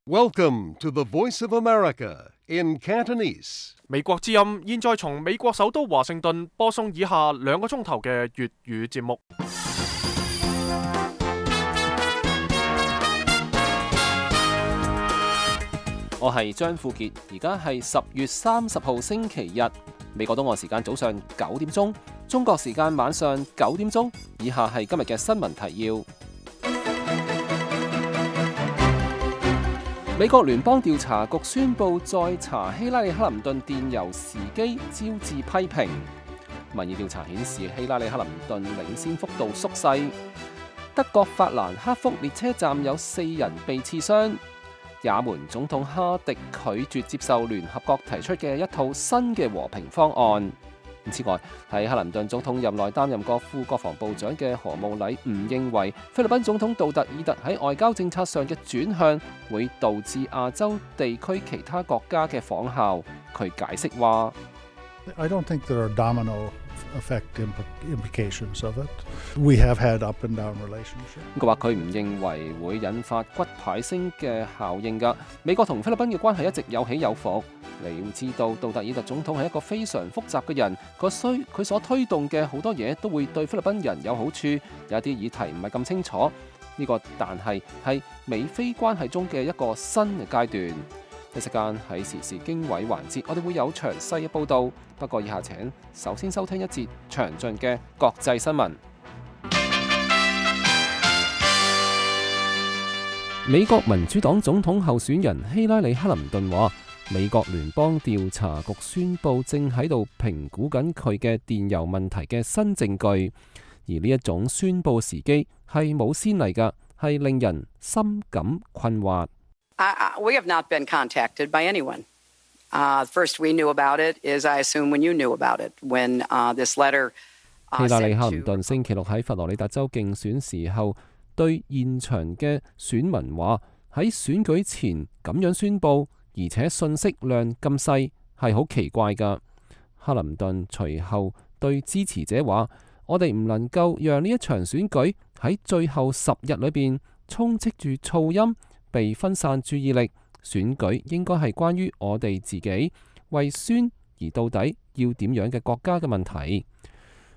Welcome to the Voice of America in Cantonese. 美國之音現在從美國首都華盛頓播送以下2個鐘頭嘅粵語節目。我係張富傑，而家係10月30號星期日，美國東岸時間早上9點鐘，中國時間晚上9點鐘。以下係今日嘅新聞提要。美國聯邦調查局宣布再查希拉里克林頓電郵時機，招致批評。民意調查顯示希拉里克林頓領先幅度縮細。德國法蘭克福列車站有4人被刺傷。也門總統哈迪拒絕接受聯合國提出嘅一套新嘅和平方案。此外，喺克林頓總統任內擔任過副國防部長嘅何慕禮唔認為菲律賓總統杜特爾特喺外交政策上嘅轉向會導致亞洲地區其他國家嘅仿效。佢解釋話：I don't think there are domino effect implications of it. We have had up and down relationships. 佢話佢唔認為會引發骨牌聲嘅效應㗎。美國同菲律賓嘅關係一直有起有伏。你要知道，杜特爾特總統係一個非常複雜嘅人，佢所推動嘅好多嘢都會對菲律賓人有好處，有一啲議題唔係咁清楚。呢個但係美菲關係中嘅一個新嘅階段。一時間喺時事經緯環節，我哋會有詳細嘅報導。不過以下請首先收聽一節詳盡嘅國際新聞。美國民主黨總統候選人希拉里克林頓話，美國聯邦調查局宣布正喺度評估緊佢嘅電郵問題嘅新證據，而呢一種宣佈時機係冇先例㗎，係令人深感困惑。We have not been contacted by anyone. First we knew about it is I assume when you knew about it, when this letter. 希拉里克林頓星期六喺佛羅里達州競選時候，對現場嘅選民話：喺選舉前咁樣宣佈，而且信息量咁細，係好奇怪㗎。克林頓隨後對支持者話：我哋唔能夠讓呢一場選舉喺最後10日裏邊充斥住噪音，被分散注意力。選舉應該係關於我哋自己為宣而到底要點樣嘅國家嘅問題。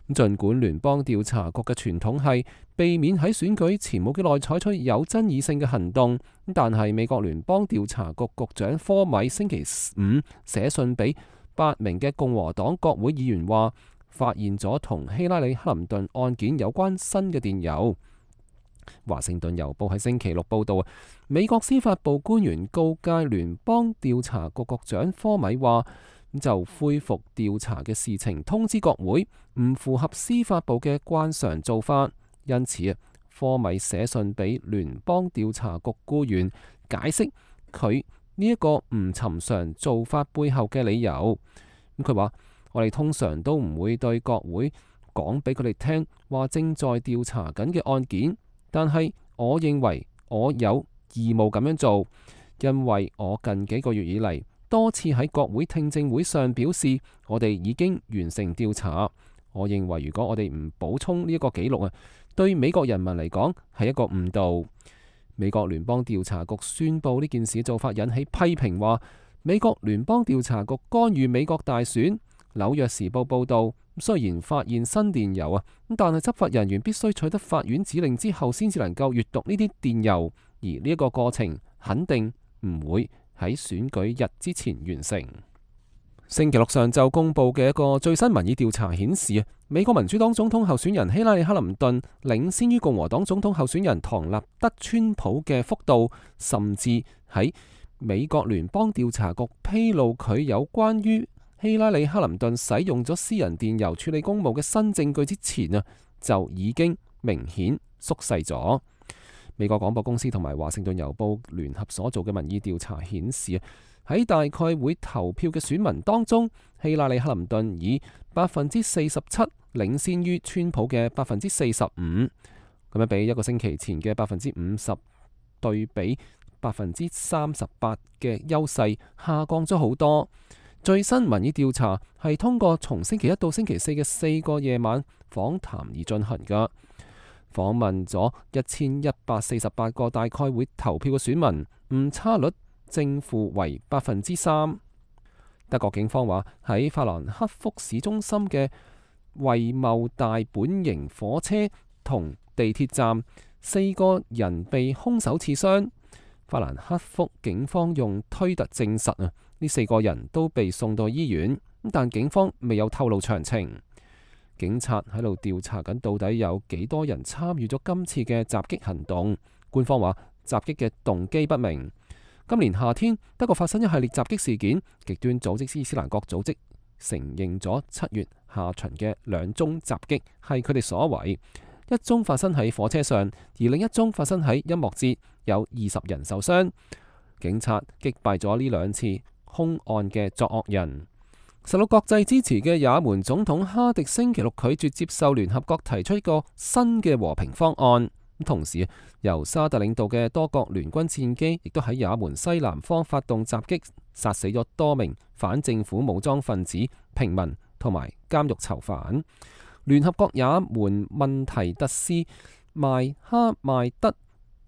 儘管聯邦調查局嘅傳統係避免喺選舉前冇幾耐採取有爭議性嘅行動，但係美國聯邦調查局局長科米星期5寫信俾8名嘅共和黨國會議員話，發現咗同希拉里克林頓案件有關新嘅電郵。華盛頓郵報喺星期6報道，美國司法部官員告誡聯邦調查局局長科米話，就恢復調查嘅事情通知國會，唔符合司法部嘅慣常做法。因此科米寫信俾聯邦調查局僱員，解釋佢呢一個唔尋常做法背後嘅理由。佢話：我哋通常都唔會對國會講俾佢哋聽話正在調查緊嘅案件。但係我認為我有義務咁樣做，因為我近幾個月以嚟多次喺國會聽證會上表示，我哋已經完成調查。我認為如果我哋唔補充呢一個記錄對美國人民嚟講係一個誤導。美國聯邦調查局宣布呢件事做法引起批評，話美國聯邦調查局干預美國大選。紐約時報報道，雖然發現新電郵但係執法人員必須取得法院指令之後先至能夠閱讀呢啲電郵，而呢一個過程肯定唔會喺選舉日之前完成。星期六上晝公佈嘅一個最新民意調查顯示，美國民主黨總統候選人希拉里克林頓領先於共和黨總統候選人唐納德川普嘅幅度，甚至喺美國聯邦調查局披露佢有關於希拉里克林頓使用咗私人電郵處理公務嘅新證據之前就已經明顯縮細咗。美國廣播公司同埋華盛頓郵報聯合所做嘅民意調查顯示，喺大概會投票嘅選民當中，希拉里克林頓以47%領先於川普嘅45%，咁樣比一個星期前嘅50%對比38%嘅優勢下降咗好多。最新民意調查係通過從星期1到星期4嘅4個夜晚訪談而進行㗎。訪問咗1148個大概會投票嘅選民，誤差率正負為3%。德國警方話喺法蘭克福市中心嘅惠茂大本型火車同地鐵站，4個人被兇手刺傷。法蘭克福警方用推特證實呢4個人都被送到醫院，但警方未有透露詳情。警察喺度調查緊到底有幾多人參與咗今次嘅襲擊行動。官方話襲擊嘅動機不明。今年夏天，德國發生一系列襲擊事件，極端組織伊斯蘭國組織承認咗7月下旬嘅2宗襲擊係佢哋所為，一宗發生喺火車上，而另一宗發生喺音樂節，有20人受傷。警察擊敗咗呢2次兇案嘅作惡人。受到國際支持嘅也門總統哈迪星期六拒絕接受聯合國提出一個新嘅和平方案。同時，由沙特領導嘅多國聯軍戰機亦都喺也門西南方發動襲擊，殺死咗多名反政府武裝分子、平民同埋監獄囚犯。聯合國也門問題特使邁哈邁德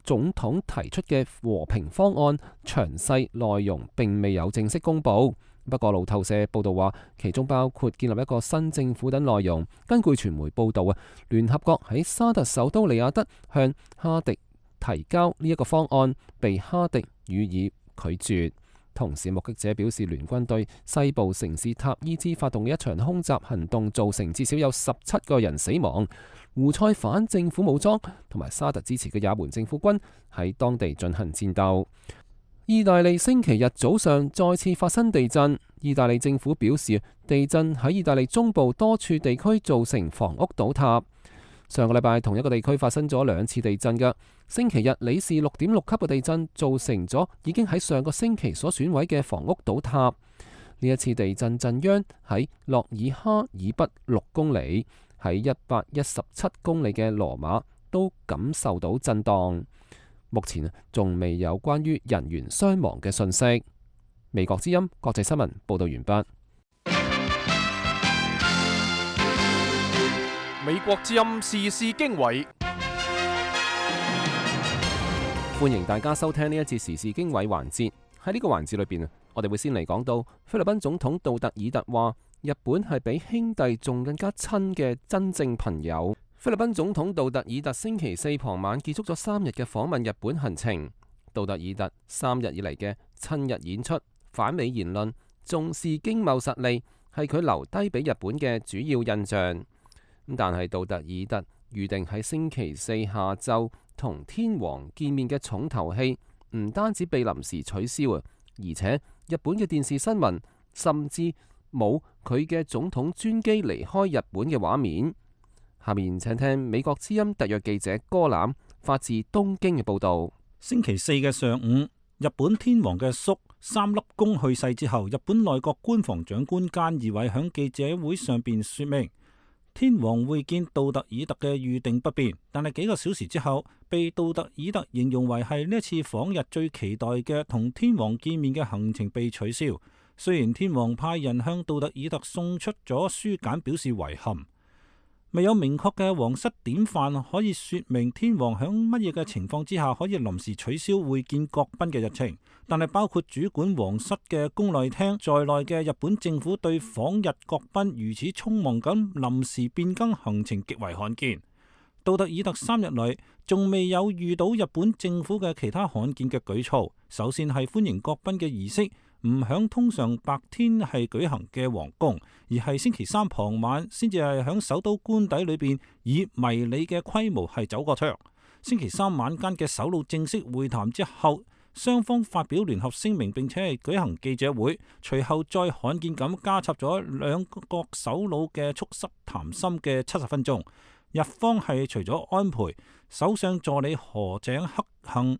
總統提出嘅和平方案詳細內容並未有正式公佈。不過路透社報道話，其中包括建立一個新政府等內容。根據傳媒報道聯合國喺沙特首都利雅得向哈迪提交呢一個方案，被哈迪予以拒絕。同時，目擊者表示，聯軍對西部城市塔伊茲發動嘅一場空襲行動，造成至少有17個人死亡。胡塞反政府武裝同埋沙特支持嘅也門政府軍喺當地進行戰鬥。意大利星期日早上再次發生地震。意大利政府表示，地震喺意大利中部多處地區造成房屋倒塌。上個禮拜同一個地區發生咗2次地震嘅。星期日里氏6.6級嘅地震造成咗已經喺上個星期所損毀嘅房屋倒塌。呢一次地震震央喺諾爾哈以北6公里，喺117公里嘅羅馬都感受到震盪。目前仲未有關於人員傷亡嘅訊息。美國之音國際新聞報道完畢。美國之音時事經緯，歡迎大家收聽呢一節時事經緯環節。喺呢個環節裏邊我哋會先嚟講到菲律賓總統杜特爾特話，日本係比兄弟仲更加親嘅真正朋友。菲律賓總統杜特爾特星期4傍晚結束咗3日嘅訪問日本行程。杜特爾特3日以嚟嘅親日演出、反美言論、重視經貿實力，係佢留低俾日本嘅主要印象。但係杜特爾特預定喺星期4下晝同天皇見面嘅重頭戲，唔單止被臨時取消啊，而且日本嘅電視新聞甚至冇佢嘅總統專機離開日本嘅畫面。下面請聽美國之音特約記者戈攬發自東京嘅報道。星期4嘅上午，日本天皇嘅叔三粒宮去世之後，日本內閣官房長官菅義偉響記者會上邊說明，天皇會見杜特爾特嘅預定不變，但係幾個小時之後，被杜特爾特形容為係呢一次訪日最期待嘅同天皇見面嘅行程被取消。雖然天皇派人向杜特爾特送出咗書簡表示遺憾，未有明確嘅皇室典範可以說明天皇響乜嘢嘅情況之下可以臨時取消會見國賓嘅日程，但係包括主管皇室嘅宮內廳在內嘅日本政府對訪日國賓如此匆忙咁臨時變更行程極為罕見。杜特爾特3日嚟仲未有遇到日本政府嘅其他罕見嘅舉措。首先係歡迎國賓嘅儀式唔響通常白天係舉行嘅皇宮，而係星期3傍晚先至係響首都官邸裏邊以迷你嘅規模係走過場。星期3晚間嘅首腦正式會談之後，雙方發表聯合聲明，並且係舉行記者會，隨後再罕見咁加插咗兩國首腦嘅促膝談心嘅70分鐘。日方係除咗安倍、首相助理河井克幸、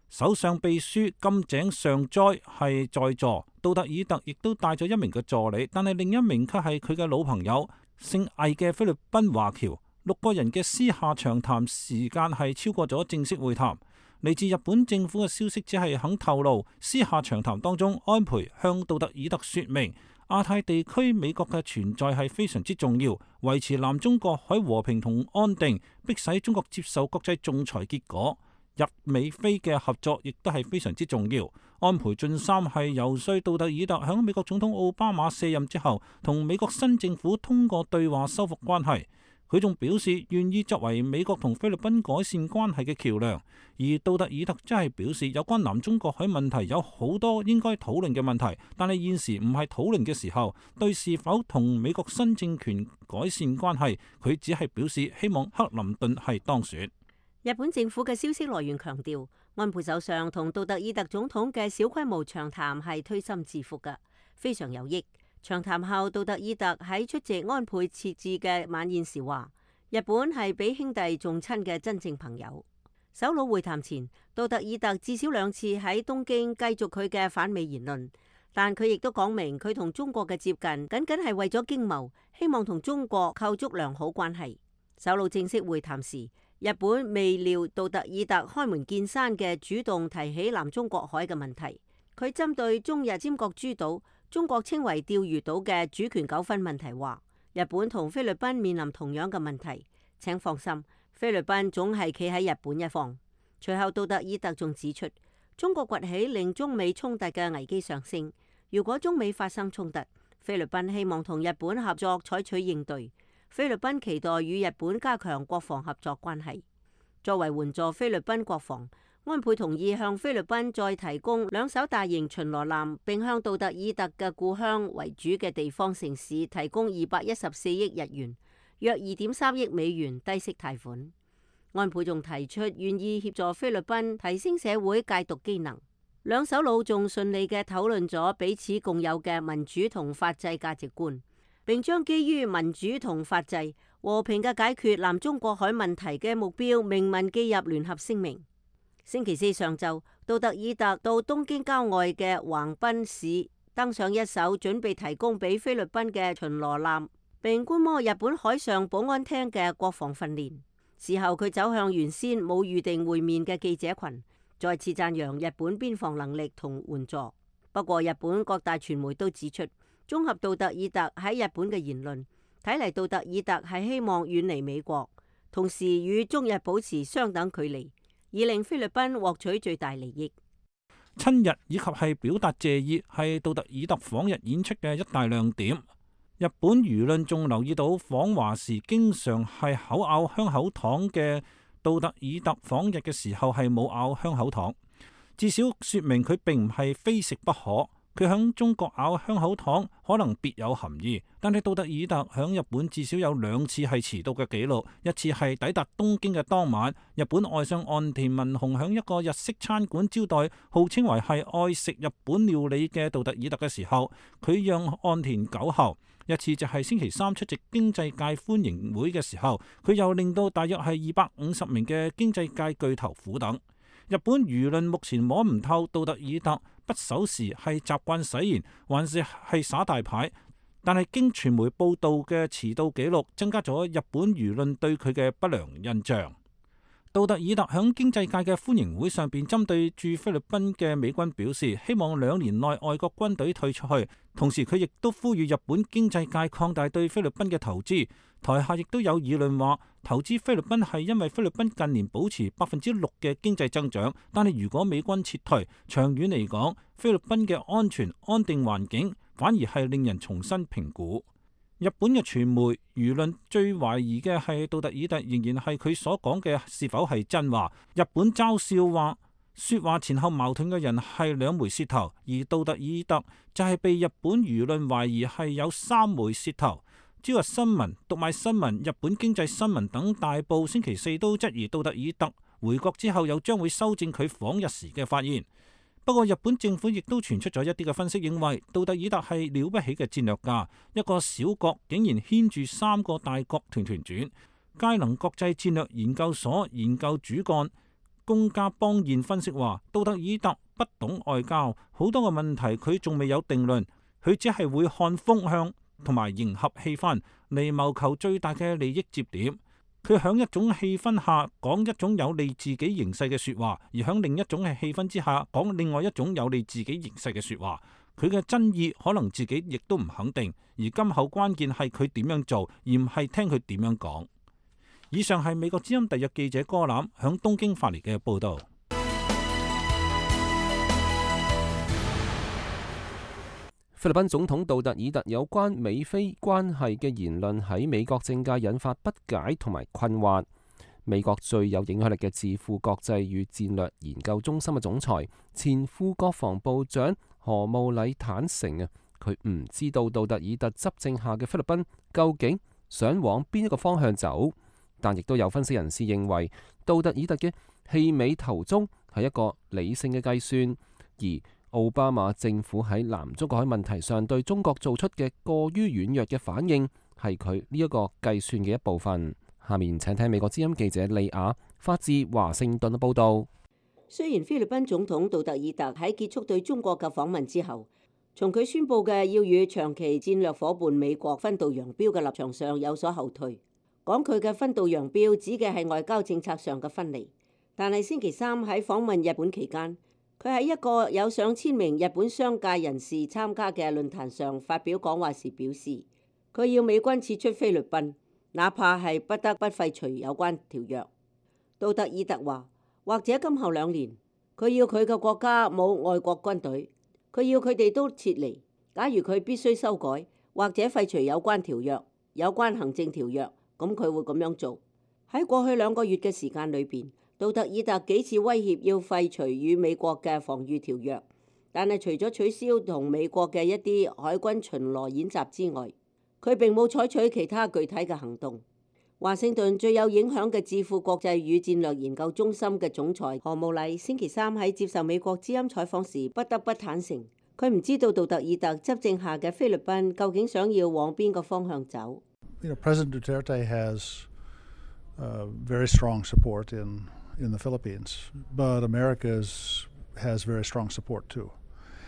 首相秘書金井上哉係在座，杜特爾特亦都帶咗1名嘅助理，但係另一名卻係佢嘅老朋友姓魏嘅菲律賓華僑。6個人嘅私下長談時間係超過咗正式會談。嚟自日本政府嘅消息只係肯透露，私下長談當中，安倍向杜特爾特說明亞太地區美國嘅存在係非常之重要，維持南中國海和平同安定，迫使中國接受國際仲裁結果。日美菲嘅合作亦都係非常之重要。安倍晉三係游說杜特爾特響美國總統奧巴馬卸任之後，同美國新政府通過對話修復關係。佢仲表示願意作為美國同菲律賓改善關係嘅橋梁。而杜特爾特則係表示有關南中國海問題有好多應該討論嘅問題，但係現時唔係討論嘅時候。對是否同美國新政權改善關係，佢只係表示希望克林頓係當選。日本政府嘅消息來源強調，安倍首相同杜特爾特總統嘅小規模長談係推心置腹嘅，非常有益。長談後，杜特爾特喺出席安倍設置嘅晚宴時話：日本係比兄弟仲親嘅真正朋友。首腦會談前，杜特爾特至少2次喺東京繼續佢嘅反美言論，但佢亦都講明佢同中國嘅接近僅僅係為咗經貿，希望同中國構築良好關係。首腦正式會談時，日本未料杜特爾特開門見山嘅主動提起南中國海嘅問題。佢針對中日尖閣諸島，中國稱為釣魚島嘅主權糾紛問題話，日本同菲律賓面臨同樣嘅問題，請放心，菲律賓總係企喺日本一方。隨後杜特爾特仲指出，中國崛起令中美衝突嘅危機上升，如果中美發生衝突，菲律賓希望同日本合作採取應對。菲律賓期待與日本加強國防合作關係。作為援助菲律賓國防，安倍同意向菲律賓再提供2艘大型巡邏艦，並向杜特爾特嘅故鄉為主嘅地方城市提供214億日元，約2.3億美元低息貸款。安倍仲提出願意協助菲律賓提升社會戒毒機能。兩首腦仲順利嘅討論咗彼此共有嘅民主同法治價值觀，並將基於民主同法治和平嘅解決南中國海問題嘅目標明文記入聯合聲明。星期四上晝，杜特爾特到東京郊外嘅橫濱市登上一艘準備提供俾菲律賓嘅巡邏艦，並觀摩日本海上保安廳嘅國防訓練。事後佢走向原先冇預定會面嘅記者群，再次讚揚日本邊防能力同援助。不過日本各大傳媒都指出，綜合杜特爾特喺日本嘅言論，睇嚟杜特爾特係希望遠離美國，同時與中日保持相等距離，以令菲律賓獲取最大利益。親日以及係表達謝意係杜特爾特訪日演出嘅一大亮點。日本輿論仲留意到訪華時經常係口咬香口糖嘅杜特爾特訪日嘅時候係冇咬香口糖，至少說明佢並唔係非食不可。佢響中國咬香口糖可能別有含義，但係杜特爾特響日本至少有2次係遲到嘅記錄，一次係抵達東京嘅當晚，日本外相岸田文雄響一個日式餐館招待號稱為係愛食日本料理嘅杜特爾特嘅時候，佢讓岸田久候。一次就係星期三出席經濟界歡迎會嘅時候，佢又令到大約係250名嘅經濟界巨頭苦等。日本輿論目前摸唔透杜特爾特不守時係習慣使然，還是耍大牌，但係經傳媒報道嘅遲到記錄，增加咗日本輿論對佢嘅不良印象。杜特爾特響經濟界嘅歡迎會上邊，針對駐菲律賓嘅美軍表示，希望2年內外國軍隊退出去。同時佢亦都呼籲日本經濟界擴大對菲律賓嘅投資。台下亦都有議論話，投資菲律賓係因為菲律賓近年保持6%嘅經濟增長，但係如果美軍撤退，長遠嚟講，菲律賓嘅安全安定環境反而係令人重新評估。日本嘅傳媒輿論最懷疑嘅係杜特爾特仍然係佢所講嘅是否係真話。日本嘲笑話，說話前後矛盾嘅人係2枚舌頭，而杜特爾特就係被日本輿論懷疑係有3枚舌頭。朝日新聞、讀賣新聞、日本經濟新聞等大報星期四都質疑杜特爾特回國之後又將會修正佢訪日時嘅發言。不過日本政府亦都傳出咗一啲嘅分析，認為杜特爾特係了不起嘅戰略家，一個小國竟然牽住3個大國團團轉。佳能國際戰略研究所研究主幹宮家邦彥分析話，杜特爾特不懂外交，好多個問題佢仲未有定論，佢只係會看風向同埋迎合氣氛嚟謀求最大嘅利益接點。佢響一種氣氛下講一種有利自己形勢嘅說話，而響另一種嘅氣氛之下講另外一種有利自己形勢嘅說話。佢嘅真意可能自己亦都唔肯定，而今後關鍵係佢點樣做，而唔係聽佢點樣講。以上係美國之音特約記者柯欖響東京發嚟嘅報導。菲律賓總統杜特爾特有關美菲關係嘅言論喺美國政界引發不解同埋困惑。美國最有影響力嘅智庫國際與戰略研究中心嘅總裁、前副國防部長何慕禮坦承佢唔知道杜特爾特執政下嘅菲律賓究竟想往邊一個方向走，但亦都有分析人士認為，杜特爾特嘅棄美投中係一個理性嘅計算，而奧巴馬政府喺南中國海問題上對中國做出嘅過於軟弱嘅反應，係佢呢一個計算嘅一部分。下面請聽美國之音記者利亞發自華盛頓嘅報道。雖然菲律賓總統杜特爾特喺結束對中國嘅訪問之後，從佢宣布嘅要與長期戰略夥伴美國分道揚鑣嘅立場上有所後退，講佢嘅分道揚鑣指嘅係外交政策上嘅分離。但係星期三喺訪問日本期間，佢喺一個有上千名日本商界人士參加嘅論壇上發表講話時表示，佢要美軍撤出菲律賓，哪怕係不得不廢除有關條約。杜特爾特話，或者今後2年，佢要佢嘅國家冇外國軍隊，佢要佢哋都撤離。假如佢必須修改或者廢除有關條約、有關行政條約，咁佢會咁樣做。喺過去2個月嘅時間裏邊，杜特爾特幾次威脅要廢除與美國嘅防禦條約，但係除咗取消同美國嘅一啲海軍巡邏演習之外，佢並冇採取其他具體嘅行動。華盛頓最有影響嘅智庫國際與戰略研究中心嘅總裁何慕禮星期三喺接受美國之音採訪時，不得不坦承，佢唔知道杜特爾特執政下嘅菲律賓究竟想要往邊個方向走。President Duterte has very strong support in the Philippines, but America has very strong support too.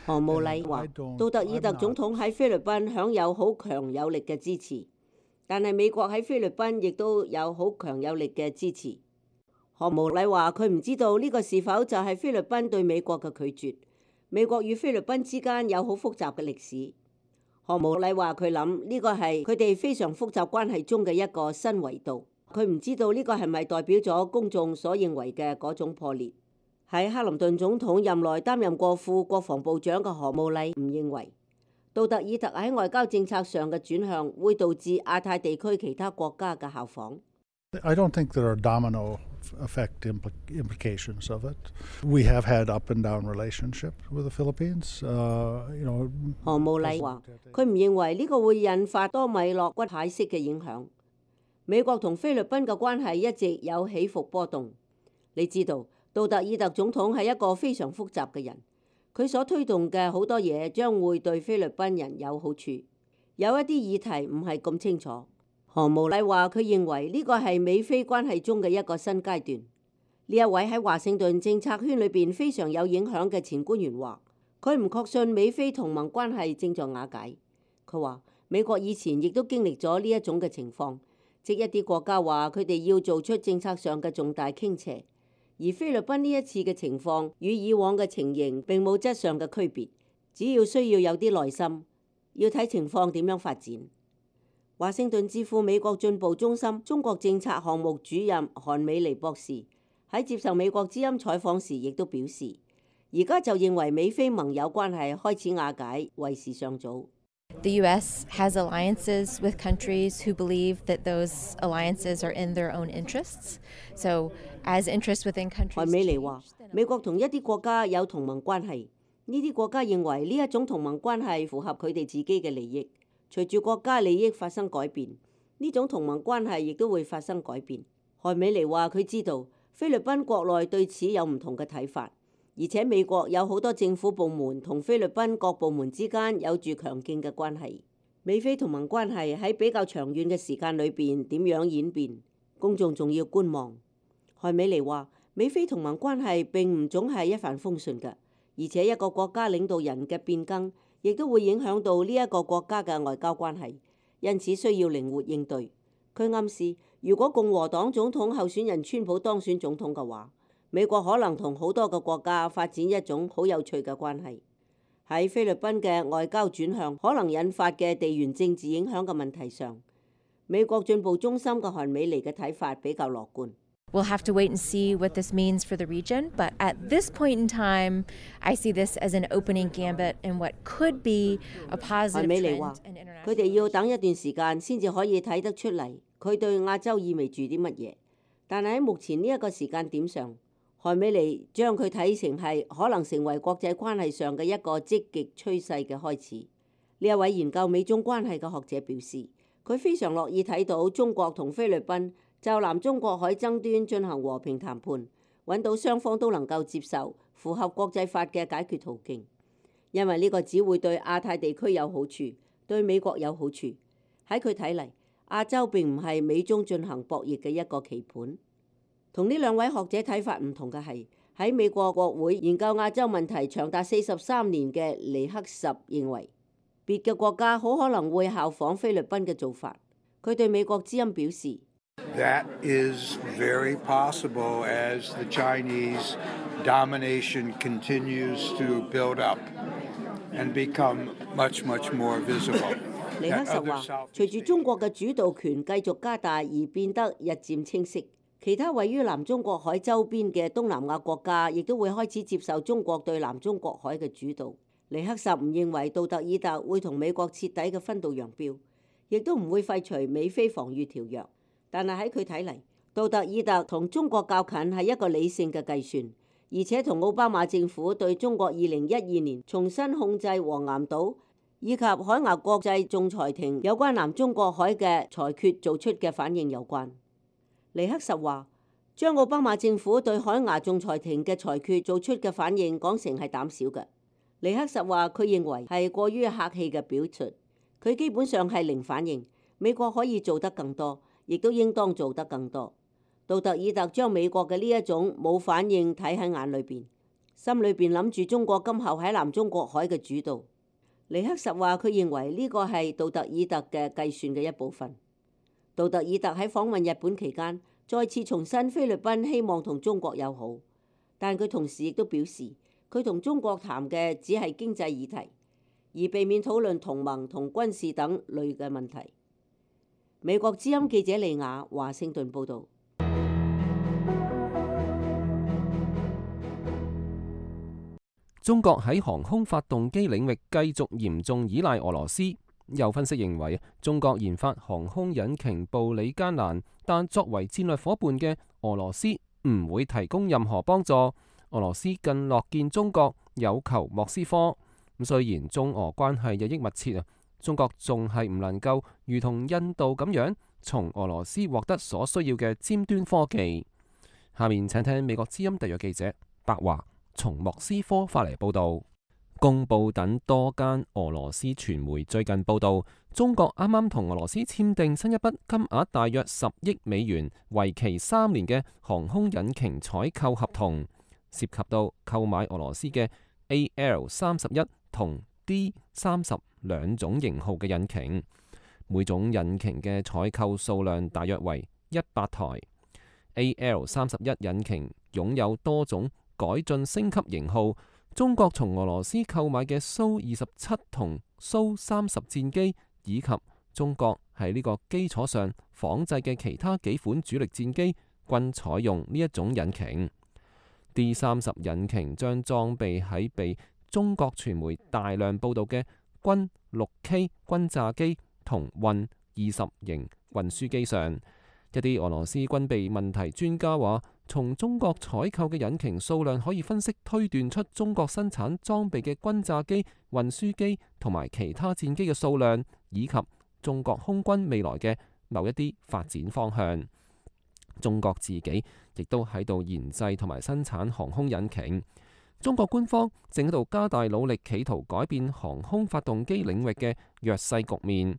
何慕禮話，杜特爾特總統喺菲律賓享有好強有力嘅支持，但係美國喺菲律賓亦都有好強有力嘅支持。何慕禮話，佢唔知道呢個是否就係菲律賓對美國嘅拒絕。美國與菲律賓之間有好複雜嘅歷史。何慕禮話，佢諗呢個係佢哋非常複雜關係中嘅一個新維度。佢唔知道呢個係咪代表咗公眾所認為嘅嗰種破裂。喺克林頓總統任內擔任過副國防部長嘅何慕禮唔認為杜特爾特喺外交政策上嘅轉向會導致亞太地區其他國家嘅效仿。I don't think there are domino effect implications of it. We have had up and down relationship with the Philippines. 何慕禮話，佢唔認為呢個會引發多米諾骨牌式嘅影響。美國同菲律賓嘅關係一直有起伏波動。你知道，杜特爾特總統係一個非常複雜嘅人，佢所推動嘅好多嘢將會對菲律賓人有好處。有一啲議題唔係咁清楚。何慕禮話，佢認為呢個係美菲關係中嘅一個新階段。呢一位喺華盛頓政策圈裏邊非常有影響嘅前官員話，佢唔確信美菲同盟關係正在瓦解。佢話美國以前亦都經歷咗呢一種嘅情況。即一啲國家話佢哋要做出政策上嘅重大傾斜，而菲律賓呢一次嘅情況與以往嘅情形並冇質上嘅區別，只要需要有啲耐心，要睇情況點樣發展。華盛頓智庫美國進步中心中國政策項目主任韓美妮博士喺接受美國之音採訪時亦都表示，而家就認為美菲盟友關係開始瓦解為時尚早。The U.S. has alliances with countries who believe that those alliances are in their own interests. So, as interests within countries. 韓美妮話，美國同一啲國家有同盟關係，呢啲國家認為呢一種同盟關係符合佢哋自己嘅利益。隨住國家利益發生改變，呢種同盟關係亦都會發生改變。韓美妮話，佢知道菲律賓國內對此有唔同嘅睇法。而且美國有好多政府部門同菲律賓各部門之間有住強勁嘅關係。美菲同盟關係喺比較長遠嘅時間裏邊點樣演變，公眾仲要觀望。韓美妮話，美菲同盟關係並唔總係一帆風順嘅，而且一個國家領導人嘅變更亦都會影響到呢一個國家嘅外交關係，因此需要靈活應對。佢暗示，如果共和黨總統候選人川普當選總統嘅話，美國可能同好多個國家發展一種好有趣嘅關係。喺菲律賓嘅外交轉向可能引發嘅地緣政治影響嘅問題上，美國進步中心嘅韓美妮嘅睇法比較樂觀。We'll have to wait and see what this means for the region, but at this point in time, I see this as an opening gambit in what could be a positive 韓美妮話 trend in international 佢哋要等一段時間先至可以睇得出嚟，佢對亞洲意味住啲乜嘢。但係喺目前呢一個時間點上，韓美妮將佢睇成係可能成為國際關係上嘅一個積極趨勢嘅開始。呢一位研究美中關係嘅學者表示，佢非常樂意睇到中國同菲律賓就南中國海爭端進行和平談判，揾到雙方都能夠接受、符合國際法嘅解決途徑，因為呢個只會對亞太地區有好處，對美國有好處。喺佢睇嚟，亞洲並唔係美中進行博弈嘅一個棋盤。同呢兩位學者睇法唔同嘅係，喺美國國會研究亞洲問題長達43年嘅尼克什認為，別嘅國家好可能會效仿菲律賓嘅做法。佢對美國之音表示，That is very possible as the Chinese domination continues to build up and become much more visible. 尼克什話，隨住中國嘅主導權繼續加大而變得日漸清晰，其他位於南中國海周邊嘅東南亞國家亦都會開始接受中國對南中國海嘅主導。尼克什唔認為杜特爾特會同美國徹底嘅分道揚鑣，亦都唔會廢除美菲防禦條約。但係喺佢睇嚟，杜特爾特同中國較近係一個理性嘅計算，而且同奧巴馬政府對中國2012年重新控制黃岩島以及海牙國際仲裁庭有關南中國海嘅裁決做出嘅反應有關。尼克什話，將奧巴馬政府對海牙仲裁庭嘅裁決做出嘅反應講成係膽小嘅。尼克什話佢認為係過於客氣嘅表述，佢基本上係零反應。美國可以做得更多，亦都應當做得更多。杜特爾特將美國嘅呢一種冇反應睇喺眼裏邊，心裏邊諗住中國今後喺南中國海嘅主導。尼克什話佢認為呢個係杜特爾特嘅計算嘅一部分。杜特爾特喺訪問日本期間，再次重申菲律賓希望同中國友好，但佢同時亦都表示，佢同中國談嘅只係經濟議題，而避免討論同盟同軍事等類嘅問題。美國之音記者利亞華盛頓報導。中國喺航空發動機領域繼續嚴重依賴俄羅斯。有分析認為，中國研發航空引擎步履艱難，但作為戰略夥伴嘅俄羅斯唔會提供任何幫助。俄羅斯更樂見中國有求莫斯科。咁雖然中俄關係日益密切啊，中國仲係唔能夠如同印度咁樣從俄羅斯獲得所需要嘅尖端科技。下面請聽美國之音特約記者白華從莫斯科發嚟報道。公報等多間俄羅斯傳媒最近報道，中國啱啱同俄羅斯簽訂新一筆金額大約10億美元、為期3年嘅航空引擎採購合同，涉及到購買俄羅斯嘅 AL31同 D30兩種型號嘅引擎，每種引擎嘅採購數量大約為100台。AL31引擎擁有多種改進升級型號。中國從俄羅斯購買嘅蘇27同蘇30戰機，以及中國喺呢個基礎上仿製嘅其他幾款主力戰機，均採用呢一種引擎。D30引擎將裝備喺被中國傳媒大量報道嘅軍 6K 轟炸機同運20型運輸機上。一啲俄羅斯軍備問題專家話，從中國採購嘅引擎數量可以分析推斷出中國生產裝備嘅轟炸機、運輸機同埋其他戰機嘅數量，以及中國空軍未來嘅某一啲發展方向。中國自己亦都喺度研製同埋生產航空引擎。中國官方正喺度加大努力，企圖改變航空發動機領域嘅弱勢局面。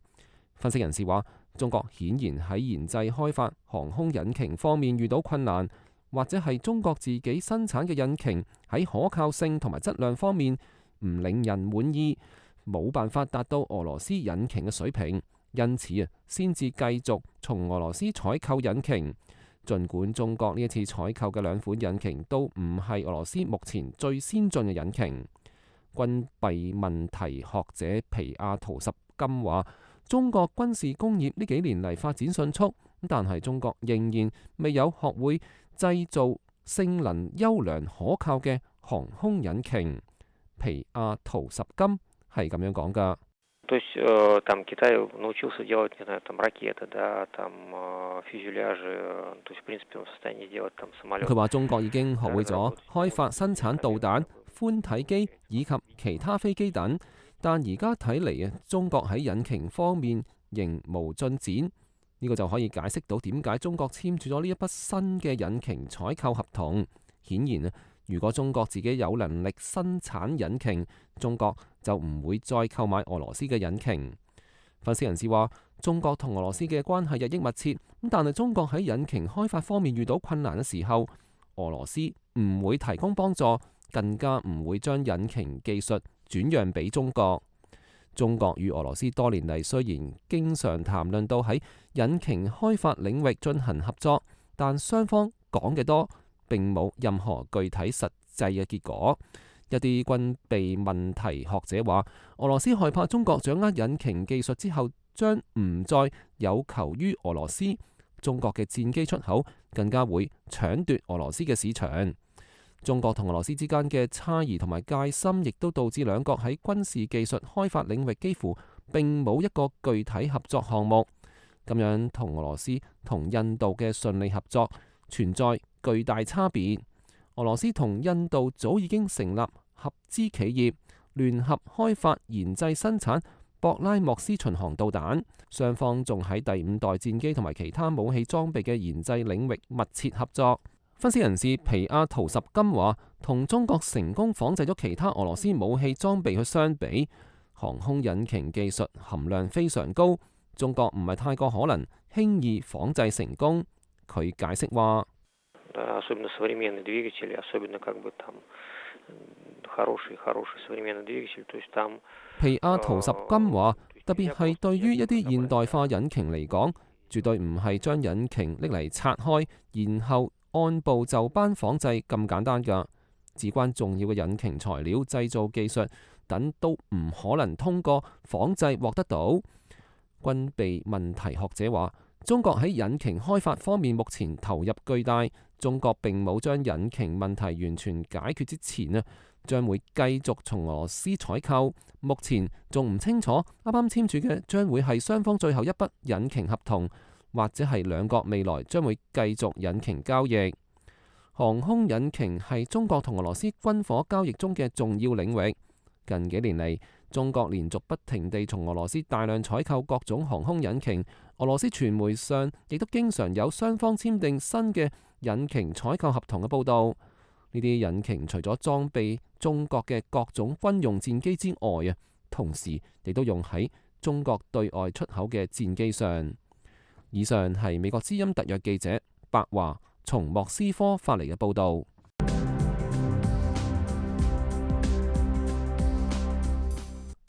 分析人士話，中國顯然喺研製開發航空引擎方面遇到困難，或者係中國自己生產嘅引擎喺可靠性同埋質量方面唔令人滿意，冇辦法達到俄羅斯引擎嘅水平，因此先至繼續從俄羅斯採購引擎。儘管中國呢一次採購嘅兩款引擎都唔係俄羅斯目前最先進嘅引擎。軍備問題學者皮亞圖什金話：中國軍事工業呢幾年嚟發展迅速，但係中國仍然未有學會製造性能優良可靠嘅航空引擎。皮亞圖什金係咁樣講㗎。佢話中國已經學會咗開發生產導彈、寬體機以及其他飛機等，但而家睇嚟啊，中國喺引擎方面仍無進展。呢個就可以解釋到點解中國簽署咗呢一筆新嘅引擎採購合同。顯然啊，如果中國自己有能力生產引擎，中國就唔會再購買俄羅斯嘅引擎。分析人士話，中國同俄羅斯嘅關係日益密切，但係中國喺引擎開發方面遇到困難嘅時候，俄羅斯唔會提供幫助，更加唔會將引擎技術轉讓俾中國。中國與俄羅斯多年嚟雖然經常談論到喺引擎開發領域進行合作，但雙方講嘅多，並冇任何具體實際嘅結果。一啲軍備問題學者話，俄羅斯害怕中國掌握引擎技術之後，將唔再有求於俄羅斯，中國嘅戰機出口更加會搶奪俄羅斯嘅市場。中國同俄羅斯之間嘅差異同埋戒心，亦都導致兩國喺軍事技術開發領域幾乎並冇一個具體合作項目。咁樣同俄羅斯同印度嘅順利合作存在巨大差別。俄羅斯同印度早已經成立合資企業，聯合開發研製生產博拉莫斯巡航導彈，雙方仲喺第5代戰機同埋其他武器裝備嘅研製領域密切合作。分析人士皮亞圖什金話，同中國成功仿製咗其他俄羅斯武器裝備去相比，航空引擎技術含量非常高，中國唔係太過可能輕易仿製成功。佢解釋話，皮亞圖什金話，特別係對於一啲現代化引擎嚟講，絕對唔係將引擎拎嚟拆開，然後按部就班仿製咁簡單㗎。至關重要嘅引擎材料、製造技術等都唔可能通過仿製獲得到。軍備問題學者話，中國喺引擎開發方面目前投入巨大，中國並冇將引擎問題完全解決之前啊，將會繼續從俄羅斯採購。目前仲唔清楚，啱啱簽署嘅將會係雙方最後一筆引擎合同，或者係兩國未來將會繼續引擎交易。航空引擎係中國同俄羅斯軍火交易中嘅重要領域。近幾年嚟，中國連續不停地從俄羅斯大量採購各種航空引擎。俄羅斯傳媒上亦都經常有雙方簽訂新嘅引擎採購合同嘅報導。呢啲引擎除咗裝備中國嘅各種軍用戰機之外啊，同時亦都用喺中國對外出口嘅戰機上。以上係美國之音特約記者白華從莫斯科發嚟嘅報導。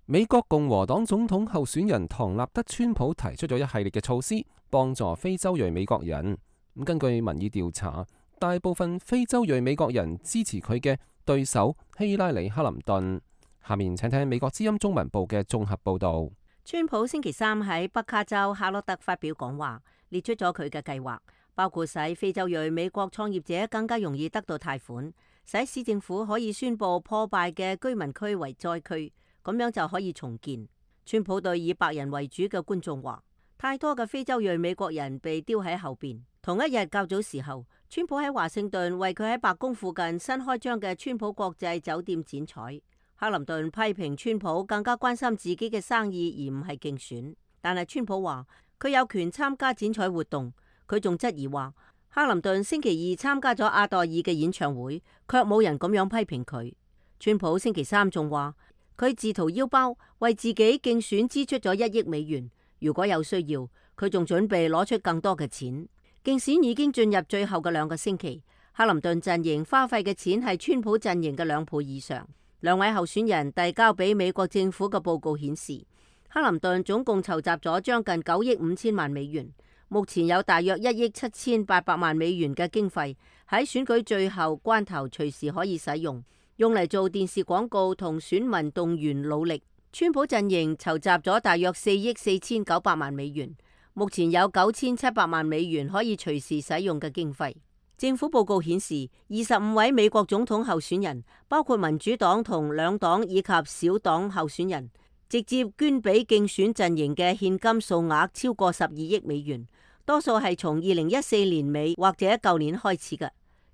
美國共和黨總統候選人唐納德川普提出咗一系列嘅措施，幫助非洲裔美國人。根據民意調查，大部分非洲裔美國人支持佢嘅對手希拉里·克林頓。下面請聽美國之音中文部嘅綜合報導。川普星期三喺北卡州夏洛特發表講話，列出咗佢嘅計劃，包括使非洲裔美國創業者更加容易得到貸款，使市政府可以宣佈破敗嘅居民區為災區，咁樣就可以重建。川普對以白人為主嘅觀眾話，太多嘅非洲裔美國人被丟喺後邊。同一日較早時候，川普喺華盛頓為佢喺白宮附近新開張嘅川普國際酒店剪彩。克林頓批評川普更加關心自己嘅生意而唔係競選，但係川普話佢有權參加剪彩活動。佢仲質疑話，克林頓星期二參加咗阿黛爾嘅演唱會，卻冇人咁樣批評佢。川普星期三仲話佢自掏腰包為自己競選支出咗1億美元，如果有需要，佢仲準備攞出更多嘅錢。競選已經進入最後嘅2個星期，克林頓陣營花費嘅錢係川普陣營嘅2倍以上。兩位候選人遞交俾美國政府嘅報告顯示，克林頓總共籌集咗將近9億5千萬美元，目前有大約1億7千8百萬美元嘅經費喺選舉最後關頭隨時可以使用用嚟做電視廣告同選民動員努力。川普陣營籌集咗大約4億4900萬美元，目前有9700萬美元可以隨時使用嘅經費。政府報告顯示，25位美國總統候選人，包括民主黨同兩黨以及小黨候選人，直接捐俾競選陣營嘅現金數額超過12億美元，多數係從2014年尾或者舊年開始嘅。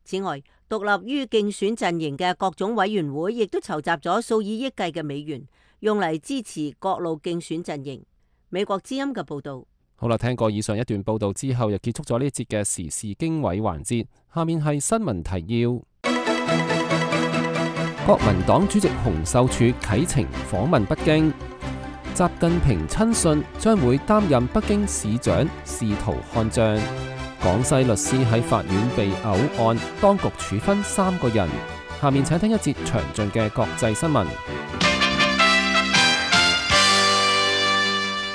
此外，獨立於競選陣營嘅各種委員會亦都籌集咗數以億計嘅美元，用嚟支持各路競選陣營。美國之音嘅報導。好啦，聽過以上一段報導之後，又結束咗呢一節嘅時事經緯環節。下面係新聞提要。國民黨主席洪秀柱啟程訪問北京，習近平親信將會擔任北京市長，試圖看賬。廣西律師喺法院被毆案，當局處分3個人。下面請聽一節詳盡嘅國際新聞。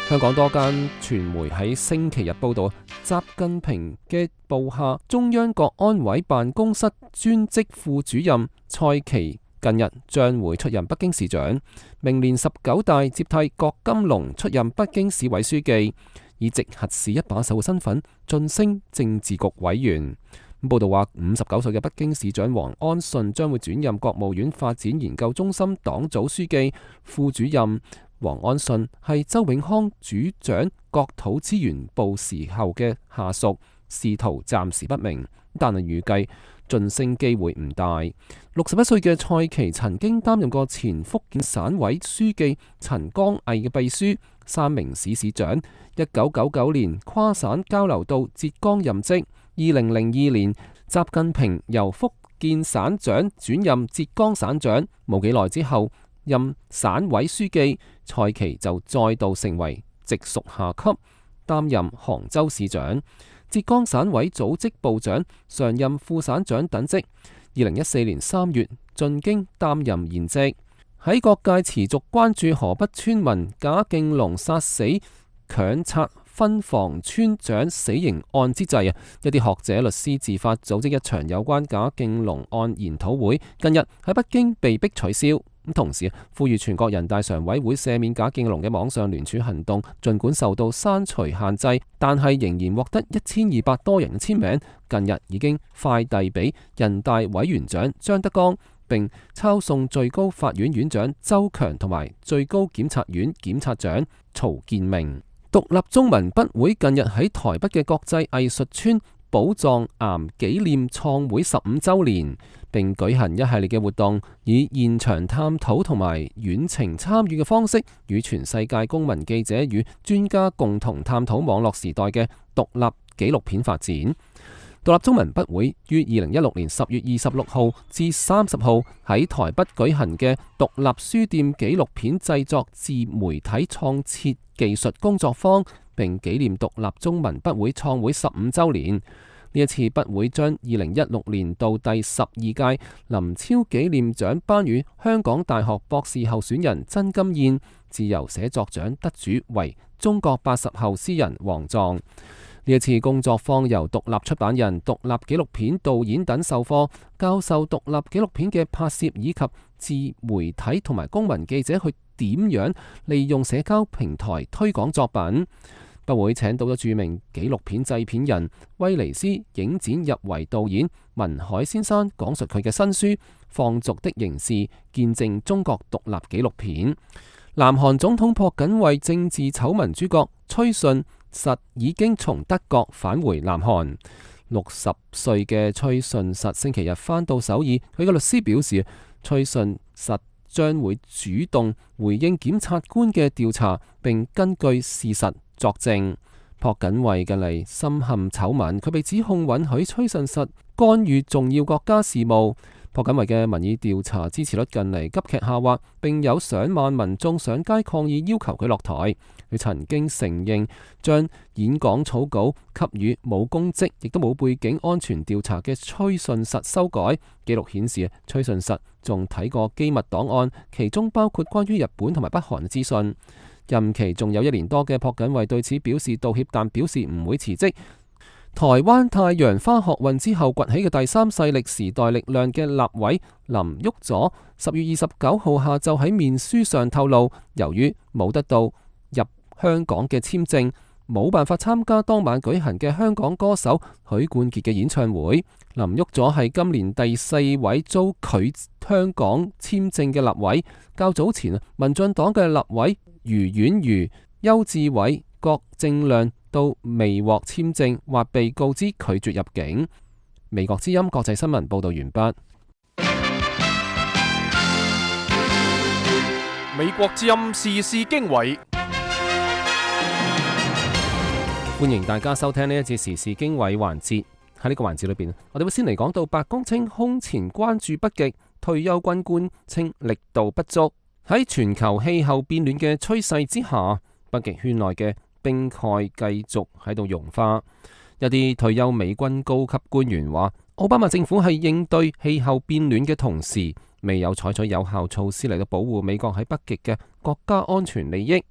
香港多間傳媒喺星期日報道，習近平嘅部下中央國安委辦公室專職副主任蔡奇近日將會出任北京市長，明年19大接替郭金龍出任北京市委書記，以直轄市一把手嘅身份晉升政治局委員。報道話，59歲嘅北京市長王安順將會轉任國務院發展研究中心黨組書記、副主任。王安順係周永康主掌國土資源部時候嘅下屬，仕途暫時不明，但係預計晉升機會唔大。61歲嘅蔡奇曾經擔任過前福建省委書記陳光毅嘅秘書、三明市市長。1999年跨省交流到浙江任職。2002年，習近平由福建省長轉任浙江省長，冇幾耐之後任省委書記，蔡奇就再度成為直屬下級，擔任杭州市長、浙江省委組織部長、常任副省長等職。2014年3月進京擔任現職。喺各界持續關注河北村民賈敬龍殺死強拆分房村長死刑案之際一啲學者、律師自發組織一場有關賈敬龍案研討會，近日喺北京被迫取消。同時呼籲全國人大常委會赦免賈敬龍嘅網上聯署行動，儘管受到刪除限制，但係仍然獲得1200多人嘅簽名。近日已經快遞俾人大委員長張德江，並抄送最高法院院長周強同埋最高檢察院檢察長曹建明。獨立中文筆會近日喺台北嘅國際藝術村寶藏岩紀念創會15週年，並舉行一系列嘅活動，以現場探討同埋遠程參與嘅方式，與全世界公民、記者與專家共同探討網絡時代嘅獨立紀錄片發展。獨立中文筆會於2016年10月26號至30號喺台北舉行嘅獨立書店紀錄片製作自媒體創設技術工作坊，並紀念獨立中文筆會創會15週年。呢一次筆會將2016年度第12屆林超紀念獎頒予香港大學博士候選人曾金燕，自由寫作獎得主為中國80後詩人王藏。呢一次工作坊由獨立出版人、獨立紀錄片導演等授課，教授獨立紀錄片嘅拍攝以及自媒體同埋公民記者去點樣利用社交平台推廣作品。筆會請到咗著名紀錄片製片人威尼斯影展入圍導演文海先生，講述佢嘅新書《放逐的刑事》，見證中國獨立紀錄片。南韓總統朴槿惠政治醜聞主角崔順實已經從德國返回南韓。60歲嘅崔順實星期日返到首爾，佢嘅律師表示，崔順實將會主動回應檢察官嘅調查，並根據事實作證。朴槿惠近嚟深陷醜聞，佢被指控允許崔順實干預重要國家事務。朴槿惠嘅民意調查支持率近嚟急劇下滑，並有上萬民眾上街抗議，要求佢落台。佢曾經承認將演講草稿給予冇公職亦都冇背景安全調查嘅崔順實修改。記錄顯示，崔順實仲睇過機密檔案，其中包括關於日本同埋北韓嘅資訊。任期仲有1年多嘅朴槿惠對此表示道歉，但表示唔會辭職。台灣太陽花學運之後崛起嘅第三勢力時代力量嘅立委林旭佐10月29號下晝喺面書上透露，由於冇得到入香港嘅簽證，冇辦法參加當晚舉行嘅香港歌手許冠傑嘅演唱會。林旭佐係今年第4位遭拒香港簽證嘅立委。較早前民進黨嘅立委余婉如、邱志偉、郭正亮都未獲簽證或被告知拒絕入境。美國之音國際新聞報道完畢。美國之音時事經緯，歡迎大家收聽呢一節時事經緯環節。喺呢個環節裏邊，我哋會先嚟講到白宮稱空前關注北極，退休軍官稱力度不足。喺全球氣候變暖嘅趨勢之下，北極圈內嘅冰蓋繼續喺度融化。一啲退休美軍高級官員話，奧巴馬政府係應對氣候變暖嘅同時，未有採取有效措施嚟到保護美國喺北極嘅國家安全利益。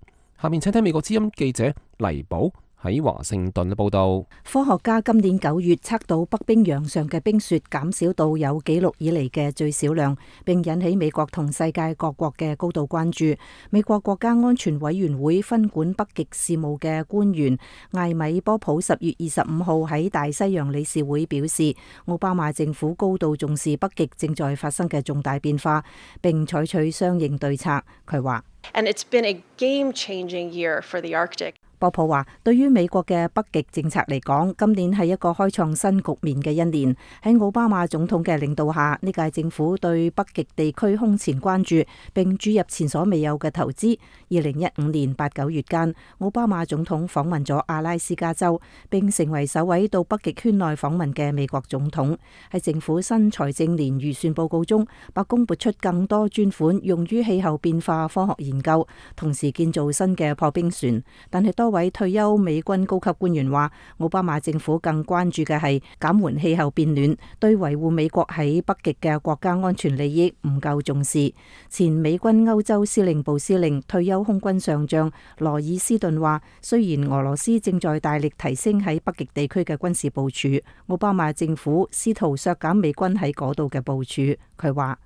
下面請聽美國之音記者黎寶喺華盛頓嘅報道。科學家今年9月測到北冰洋上嘅冰雪減少到有紀錄以嚟嘅最少量，並引起美國同世界各國嘅高度關注。美國國家安全委員會分管北極事務嘅官員艾米波普10月25號喺大西洋理事會表示，奧巴馬政府高度重視北極正在發生嘅重大變化，並採取相應對策。佢話And it's been a game-changing year for the Arctic. 波普話，對於美國嘅北極政策嚟講，今年係一個開創新局面嘅一年。喺奧巴馬總統嘅領導下，呢屆政府對北極地區空前關注，並注入前所未有嘅投資。2015年8、9月間，奧巴馬總統訪問咗阿拉斯加州，並成為首位到北極圈內訪問嘅美國總統。喺政府新財政年預算報告中，白宮撥出更多專款用於氣候變化科學研究，同時建造新嘅破冰船。但係多位退休美軍高級官員話，奧巴馬政府更關注嘅係減緩氣候變暖，對維護美國喺北極嘅國家安全利益唔夠重視。前美軍歐洲司令部司令、退休空軍上將羅爾斯頓話，雖然俄羅斯正在大力提升喺北極地區嘅軍事部署，奧巴馬政府試圖削減美軍喺嗰度嘅部署。佢話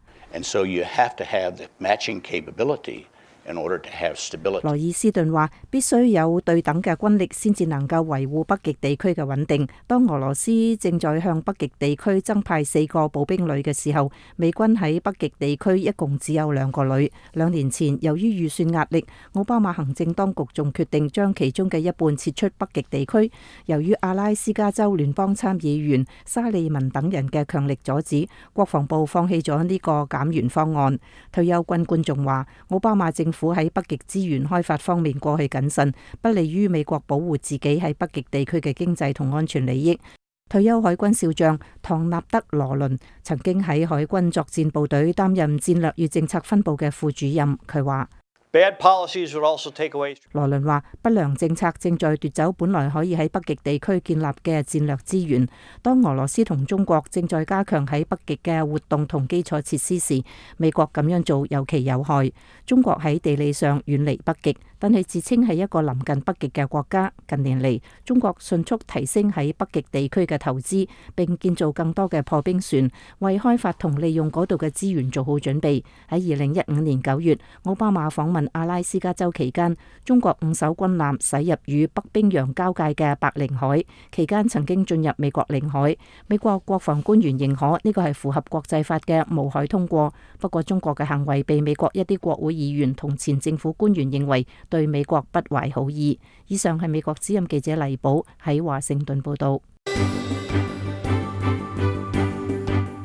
羅爾斯頓話，必須有對等嘅軍力先至能夠維護北極地區嘅穩定。當俄羅斯正在向北極地區增派4個步兵旅嘅時候，美軍喺北極地區一共只有2個旅。2年前，由於預算壓力，奧巴馬行政當局仲決定將其中嘅一半撤出北極地區。由於阿拉斯加州聯邦參議員沙利文等人嘅強力阻止，國防部放棄咗呢個減員方案。退休軍官仲話，奧巴馬政府喺北極資源開發方面過去謹慎，不利於美國保護自己喺北極地區嘅經濟同安全利益。退休海軍少將唐納德羅倫曾經喺海軍作戰部隊擔任戰略與政策分部嘅副主任，佢話羅倫話，不良政策正在奪走本來可以喺北極地區建立嘅戰略資源。當俄羅斯同中國正在加強喺北極嘅活動同基礎設施時，美國咁樣做尤其有害。中國喺地理上遠離北極，但係自稱係一個臨近北極嘅國家。近年嚟，中國迅速提升喺北極地區嘅投資，並建造更多嘅破冰船，為開發同利用嗰度嘅資源做好準備。喺2015年9月，奧巴馬訪問阿拉斯加州期間，中國5艘軍艦駛入與北冰洋交界嘅白令海，期間曾經進入美國領海。美國國防官員認可呢個係符合國際法嘅無海通過。不過中國嘅行為被美國一啲國會議員同前政府官員認為對美國不懷好意。以上係美國之音記者黎寶喺華盛頓報道。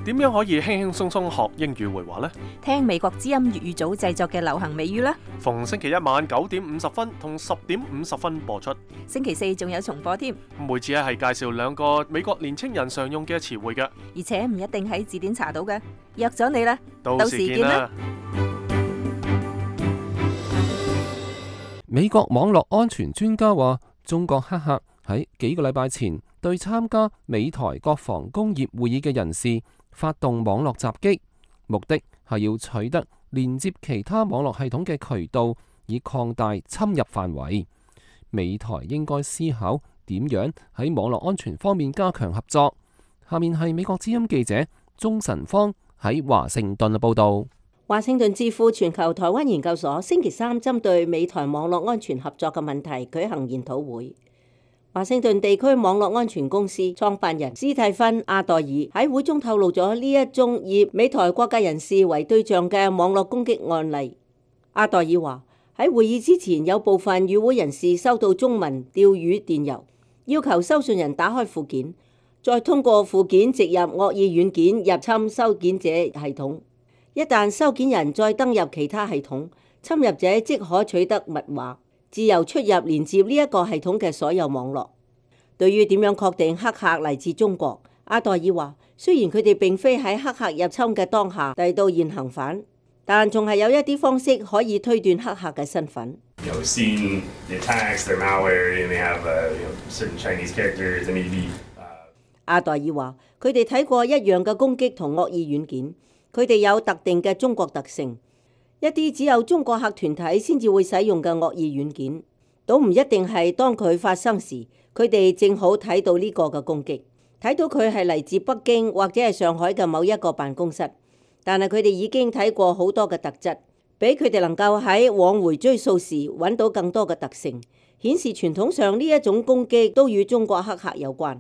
點樣可以輕輕鬆鬆學英語會話呢？聽美國之音粵語組製作嘅流行美語啦。逢星期一晚9點50分同10點50分播出。星期4仲有重播添。每次係介紹2個美國年青人常用嘅詞彙嘅，而且唔一定喺字典查到嘅。約咗你啦，到時見啦。美國網絡安全專家話，中國黑客喺幾個禮拜前對參加美台國防工業會議嘅人士發動網絡襲擊，目的係要取得連接其他網絡系統嘅渠道，以擴大侵入範圍。美台應該思考點樣喺網絡安全方面加強合作。下面係美國之音記者鍾晨芳喺華盛頓嘅報導。華盛頓智庫全球台灣研究所星期三針對美台網絡安全合作嘅問題舉行研討會。華盛頓地區網絡安全公司創辦人斯蒂芬·阿代爾喺會中透露咗呢一宗以美台國界人士為對象嘅網絡攻擊案例。阿代爾話喺會議之前，有部分與會人士收到中文釣魚電郵，要求收信人打開附件，再通過附件植入惡意軟件入侵收件者系統。一旦收件人再登入其他系統，侵入者即可取得密碼，自由出入連接呢一個系統嘅所有網絡。對於點樣確定黑客嚟自中國，阿代爾話：雖然佢哋並非喺黑客入侵嘅當下逮到現行犯，但仲係有一啲方式可以推斷黑客嘅身份。阿代爾話：佢哋睇過一樣嘅攻擊同惡意軟件。佢哋有特定嘅中國特性，一啲只有中國客團體先至會使用嘅惡意軟件，都唔一定係當佢發生時，佢哋正好睇到呢個嘅攻擊，睇到佢係嚟自北京或者係上海嘅某一個辦公室，但係佢哋已經睇過好多嘅特質，俾佢哋能夠喺往回追溯時揾到更多嘅特性，顯示傳統上呢一種攻擊都與中國黑客有關。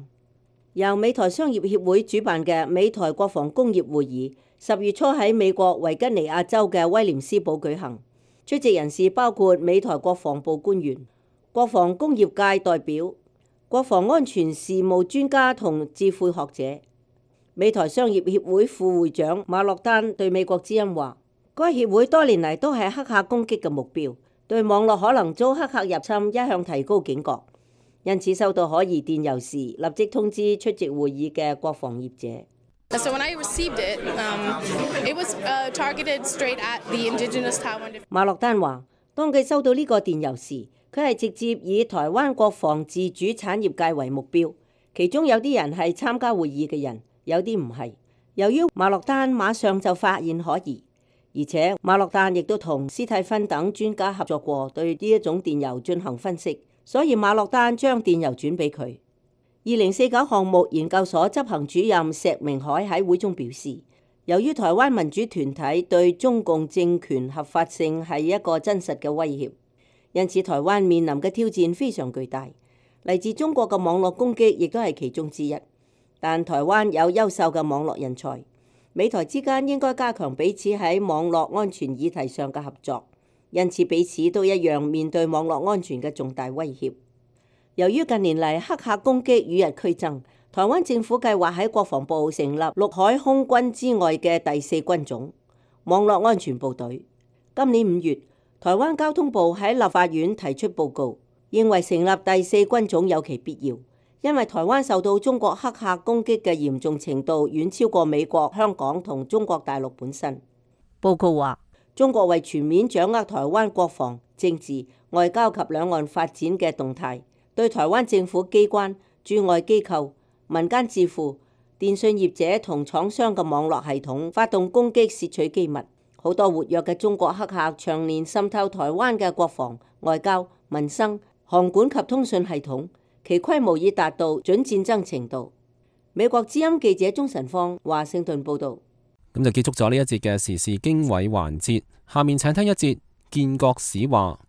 由美台商業協會主辦嘅美台國防工業會議10月初喺美國維吉尼亞州嘅威廉斯堡舉行，出席人士包括美台國防部官員、國防工業界代表、國防安全事務專家同智庫學者。美台商業協會副會長馬洛丹對美國之音話：該協會多年嚟都係黑客攻擊嘅目標，對網絡可能遭黑客入侵一向提高警覺，因此收到可疑電郵時立即通知出席會議嘅國防業者。So when I received it, it was targeted straight at the indigenous Taiwan. 馬洛丹話：當佢收到呢個電郵時，佢係直接以台灣國防自主產業界為目標，其中有啲人係參加會議嘅人，有啲唔係。由於馬洛丹馬上就發現可疑，而且馬洛丹亦都同斯蒂芬等專家合作過，對呢一種電郵進行分析，所以馬洛丹將電郵轉俾佢。2049項目研究所執行主任石明海喺會中表示，由於台灣民主團體對中共政權合法性係一個真實嘅威脅，因此台灣面臨嘅挑戰非常巨大。嚟自中國嘅網絡攻擊亦都係其中之一，但台灣有優秀嘅網絡人才，美台之間應該加強彼此喺網絡安全議題上嘅合作，因此彼此都一樣面對網絡安全嘅重大威脅。由於近年嚟黑客攻擊與日俱增，台灣政府計劃喺國防部成立陸海空軍之外嘅第4軍種網絡安全部隊。今年5月，台灣交通部喺立法院提出報告，認為成立第4軍種有其必要，因為台灣受到中國黑客攻擊嘅嚴重程度遠超過美國、香港同中國大陸本身。報告話，中國為全面掌握台灣國防、政治、外交及兩岸發展嘅動態，對台灣政府機關、駐外機構、民間智庫、電信業者同廠商嘅網絡系統發動攻擊，竊取機密。好多活躍嘅中國黑客長年滲透台灣嘅國防、外交、民生、航管及通訊系統，其規模已達到準戰爭程度。美國之音記者鍾晨芳華盛頓報導。咁就結束咗呢一節嘅時事經緯環節，下面請聽一節建國史話。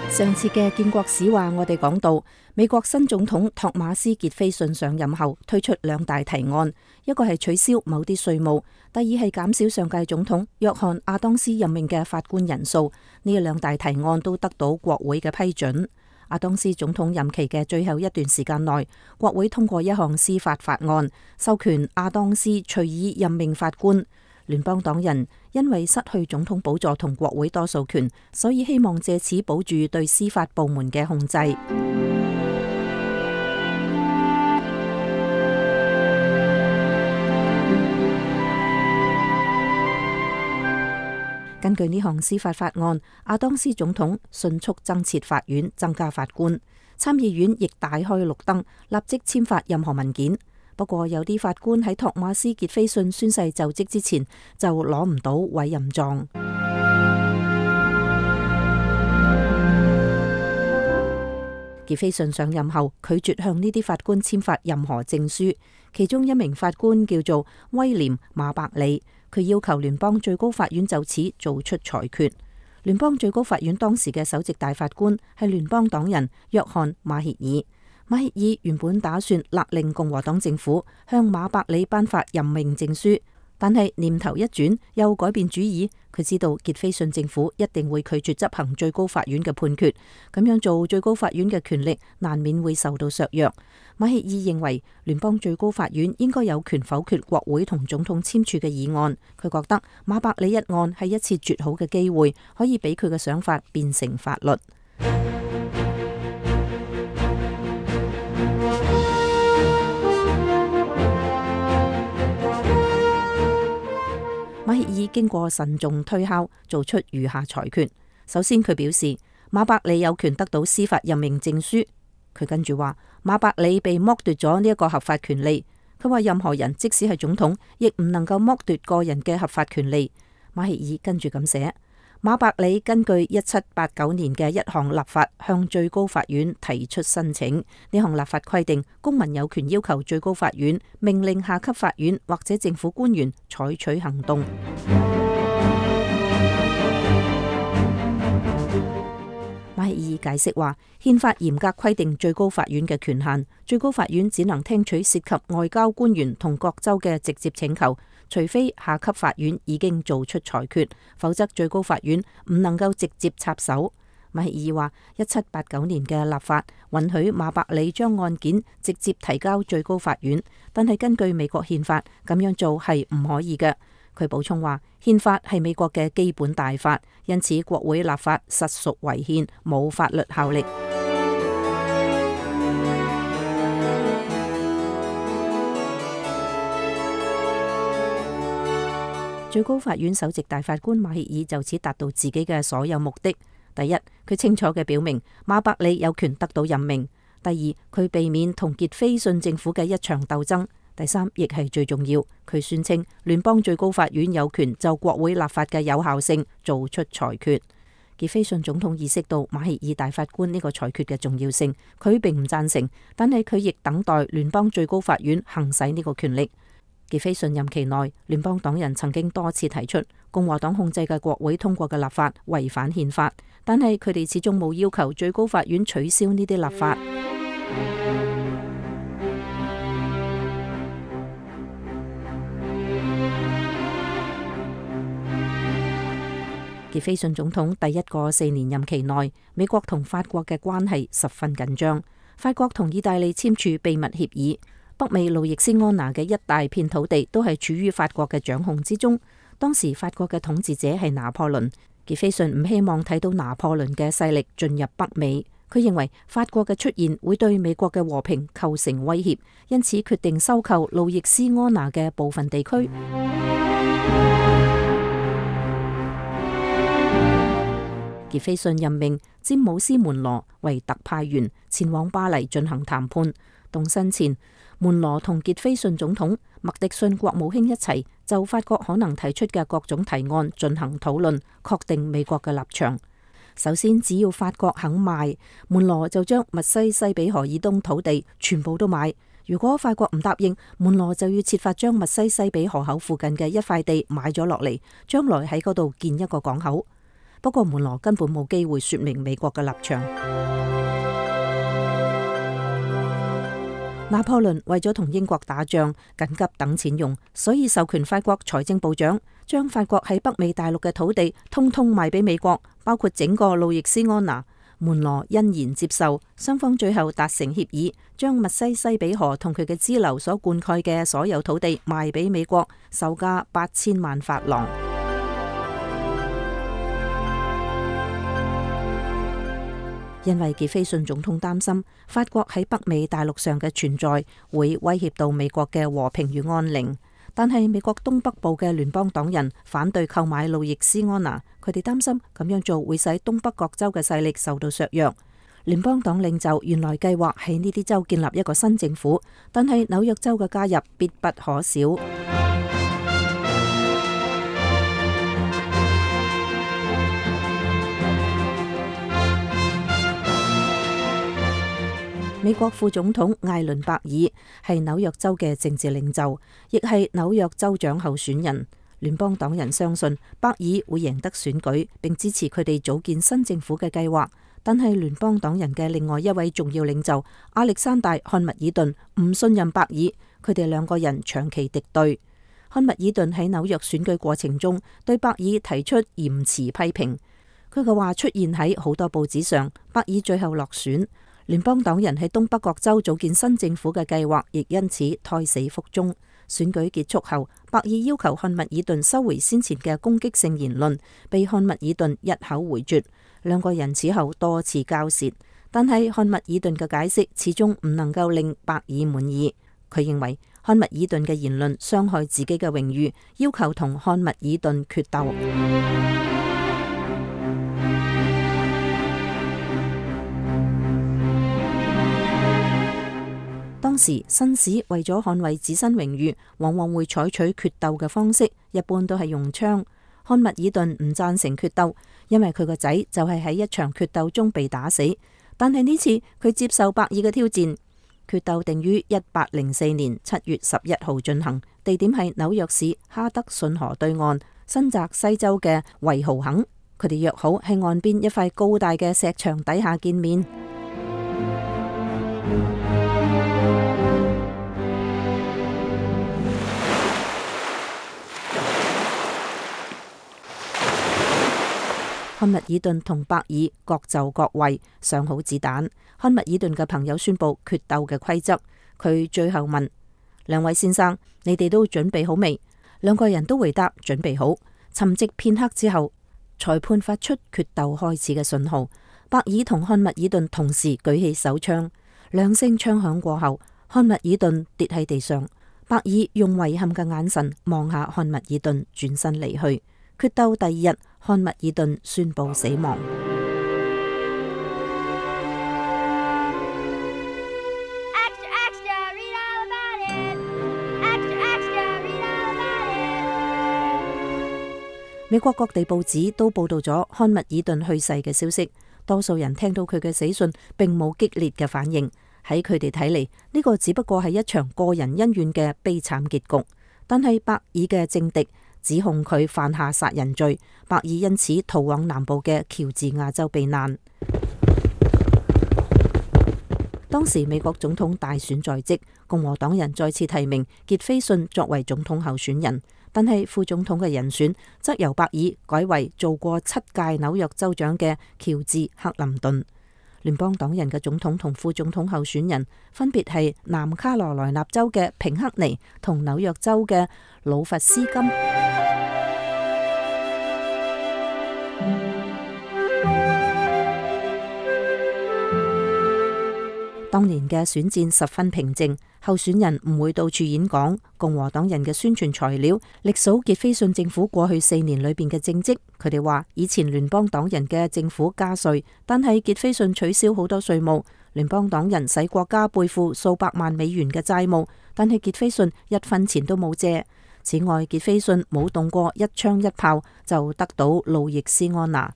上次嘅建國史話，我哋講到美國新總統托馬斯傑斐遜上任後推出2大提案，一個係取消某啲稅務，第二係減少上屆總統約翰亞當斯任命嘅法官人數。呢2大提案都得到國會嘅批准。亞當斯總統任期嘅最後一段時間內，國會通過一項司法法案，授權亞當斯隨意任命法官。聯邦黨人因為失去總統寶座同國會多數權，所以希望借此保住對司法部門嘅控制。根據呢項司法法案，亞當斯總統迅速增設法院，增加法官。參議院亦大開綠燈，立即簽發任何文件。不過有啲法官喺托馬斯傑菲遜宣誓就職之前就攞唔到委任狀。傑菲遜上任後拒絕向呢啲法官簽發任何證書，其中一名法官叫做威廉馬伯里，佢要求聯邦最高法院就此做出裁決。聯邦最高法院當時嘅首席大法官係聯邦黨人約翰馬歇爾。馬歇爾原本打算勒令共和黨政府向馬伯里頒發任命證書，但係念頭一轉又改變主意。佢知道傑菲遜政府一定會拒絕執行最高法院嘅判決，咁樣做最高法院嘅權力難免會受到削弱。馬歇爾認為聯邦最高法院應該有權否決國會同總統簽署嘅議案。佢覺得馬伯里一案係一次絕好嘅機會，可以俾佢嘅想法變成法律。馬歇爾經過慎重推敲，做出如下裁決。首先，佢表示馬伯里有權得到司法任命證書。佢跟住話馬伯里被剝奪咗呢一個合法權利。佢話任何人即使係總統，亦唔能夠剝奪個人嘅合法權利。馬歇爾跟住咁寫：馬伯里根據1789年嘅一項立法向最高法院提出申請。呢項立法規定，公民有權要求最高法院命令下級法院或者政府官員採取行動。馬歇爾解釋話，憲法嚴格規定最高法院嘅權限，最高法院只能聽取涉及外交官員同各州嘅直接請求，除非下級法院已經做出裁決，否則最高法院唔能夠直接插手。馬歇爾話，1789年嘅立法允許馬伯里將案件直接提交最高法院，但係根據美國憲法，咁樣做係唔可以嘅。佢補充話，憲法係美國嘅基本大法，因此國會立法實屬違憲，冇法律效力。最高法院首席大法官馬歇爾就此達到自己嘅所有目的。第一，佢清楚嘅表明馬伯里有權得到任命；第二，佢避免同傑菲遜政府嘅一場鬥爭；第三，亦係最重要，佢宣稱聯邦最高法院有權就國會立法嘅有效性做出裁決。傑菲遜總統意識到馬歇爾大法官呢個裁決嘅重要性，佢並唔贊成，但係佢亦等待聯邦最高法院行使呢個權力。傑菲遜任期內，聯邦黨人曾經多次提出共和黨控制嘅國會通過嘅立法違反憲法，但係佢哋始終冇要求最高法院取消呢啲立法。傑菲遜總統第一個4年任期內，美國同法國嘅關係十分緊張。法國同意大利簽署秘密協議，北美路易斯安那嘅一大片土地都係處於法國嘅掌控之中。當時法國嘅統治者係拿破崙，傑菲遜唔希望睇到拿破崙嘅勢力進入北美。佢認為法國嘅出現會對美國嘅和平構成威脅，因此決定收購路易斯安那嘅部分地區。傑菲遜任命詹姆斯門羅為特派員前往巴黎進行談判。動身前，門羅同傑菲遜總統、麥迪遜國務卿一齊就法國可能提出嘅各種提案進行討論，確定美國嘅立場。首先，只要法國肯賣，門羅就將密西西比河以東土地全部都買。如果法國唔答應，門羅就要設法將密西西比河口附近嘅一塊地買咗落嚟，將來喺嗰度建一個港口。不過門羅根本冇機會說明美國嘅立場。拿破崙為咗同英國打仗，緊急等錢用，所以授權法國財政部長將法國喺北美大陸嘅土地通通賣俾美國，包括整個路易斯安那。門羅欣然接受，雙方最後達成協議，將密西西比河同佢嘅支流所灌溉嘅所有土地賣俾美國，售價8000萬法郎。因為傑菲遜總統擔心法國喺北美大陸上嘅存在會威脅到美國嘅和平與安寧，但係美國東北部嘅聯邦黨人反對購買路易斯安那，佢哋擔心咁樣做會使東北各州嘅勢力受到削弱。聯邦黨領袖原來計劃喺呢啲州建立一個新政府，但係紐約州嘅加入必不可少。美國副總統艾倫伯爾係紐約州嘅政治領袖，亦係紐約州長候選人。聯邦黨人相信伯爾會贏得選舉，並支持佢哋組建新政府嘅計劃。但係聯邦黨人嘅另外一位重要領袖亞歷山大漢密爾頓唔信任伯爾，佢哋兩個人長期敵對。漢密爾頓喺紐約選舉過程中對伯爾提出嚴詞批評，佢嘅話出現喺好多報紙上。伯爾最後落選。聯邦黨人喺東北各州組建新政府嘅計劃亦因此胎死腹中。選舉結束後，伯爾要求漢密爾頓收回先前嘅攻擊性言論，被漢密爾頓一口回絕。兩個人此後多次交涉，但係漢密爾頓嘅解釋始終唔能夠令伯爾滿意。佢認為漢密爾頓嘅言論傷害自己嘅榮譽，要求同漢密爾頓決鬥。當時紳士為咗捍衛自身榮譽，往往會採取決鬥嘅方式，一般都係用槍。漢密爾頓唔贊成決鬥，因為佢個仔就係喺一場決鬥中被打死。但係呢次佢接受伯爾嘅挑戰。決鬥定於1804年7月11號進行，地點係紐約市哈德遜河對岸新澤西州嘅維豪肯。佢哋約好喺岸邊一塊高大嘅石牆底下見面。漢密爾頓同伯爾各就各位，上好子彈。漢密爾頓嘅朋友宣布決鬥嘅規則，佢最後問兩位先生：你哋都準備好未？兩個人都回答準備好。沉寂片刻之後，裁判發出決鬥開始嘅信號。伯爾同漢密爾頓同時舉起手槍，兩聲槍響過後，漢密爾頓跌喺地上。伯爾用遺憾嘅眼神望下漢密爾頓，轉身離去。決鬥第二日，漢密爾頓宣布死亡。美國各地報紙都報道咗漢密爾頓去世嘅消息，多數人聽到佢嘅死訊並冇激烈嘅反應。喺佢哋睇嚟，呢個只不過係一場個人恩怨嘅悲慘結局。但係伯爾嘅政敵指控佢犯下殺人罪，伯爾因此逃往南部嘅喬治亞州避難。當時美國總統大選在即，共和黨人再次提名傑斐遜作為總統候選人，但係副總統嘅人選則由伯爾改為做過7屆紐約州長嘅喬治克林頓。聯邦黨人嘅總統同副總統候選人分別係南卡羅來納州嘅平克尼同紐約州嘅魯弗斯金。當年嘅選戰十分平靜，候選人唔會到處演講。共和黨人嘅宣傳材料歷數傑斐遜政府過去4年裏邊嘅政績。佢哋話以前聯邦黨人嘅政府加稅，但係傑斐遜取消好多稅務。聯邦黨人使國家背負數百萬美元嘅債務，但係傑斐遜一分錢都冇借。此外，傑斐遜冇動過一槍一炮就得到路易斯安那，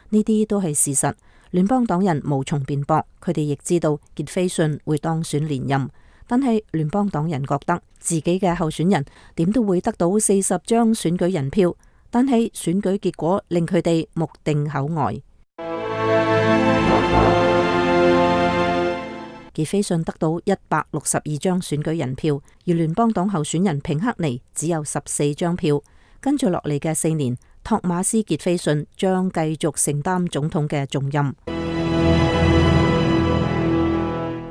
呢啲都係事實。聯邦黨人無從辯駁，佢哋亦知道傑斐遜會當選連任，但係聯邦黨人覺得自己嘅候選人點都會得到40張選舉人票，但係選舉結果令佢哋目定口呆。傑斐遜得到162張選舉人票，而聯邦黨候選人平克尼只有14張票。跟住落嚟嘅4年，托馬斯傑斐遜將繼續承擔總統嘅重任。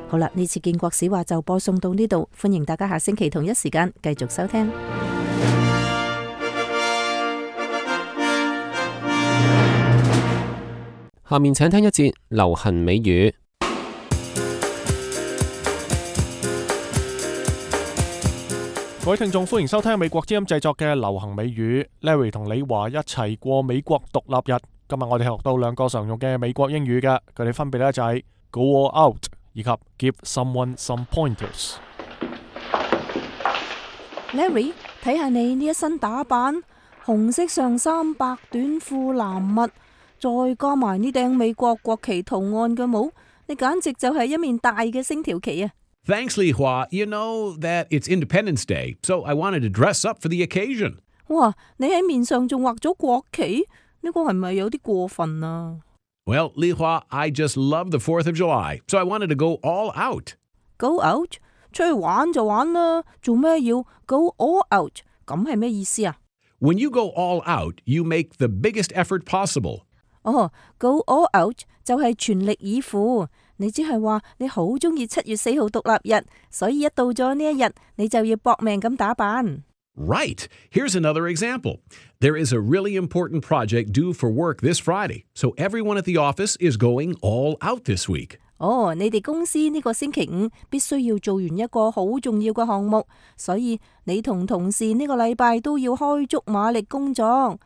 好啦，呢次建國史話就播送到呢度，歡迎大家下星期同一時間繼續收聽。下面請聽一節流行美語。各位聽眾，歡迎收聽美國之音製作嘅流行美語。Larry 同李華一齊過美國獨立日。今日我哋學到2個常用嘅美國英語嘅，佢哋分別呢就係 Go all out 以及 Give someone some pointers。 Larry， 睇下你呢一身打扮，紅色上衫、白短褲、藍襪，再加埋呢頂美國國旗圖案嘅帽，你簡直就係一面大嘅星條旗啊！ Thanks, Li Hua. You know that it's Independence Day, so I wanted to dress up for the occasion. 哇，你喺面上仲畫咗國旗，呢個係咪有啲過分啊？ Well, Li Hua, I just love the 4th of July, so I wanted to go all out. Go out？ 出去玩就玩啦，做咩要 go all out？ 咁係咩意思啊？ When you go all out, you make the biggest effort possible. 哦 ，go all out 就係全力以赴。你只係話你好中意7月4號獨立日，所以一到咗呢一日，你就要搏命咁打扮。 Right. Here's another example. There is a really important project due for work this Friday, so everyone at the office is going all out this week. 哦，你哋公司呢個星期5必須要做完一個好重要嘅項目，所以你同同事呢個禮拜都要開足馬力工作。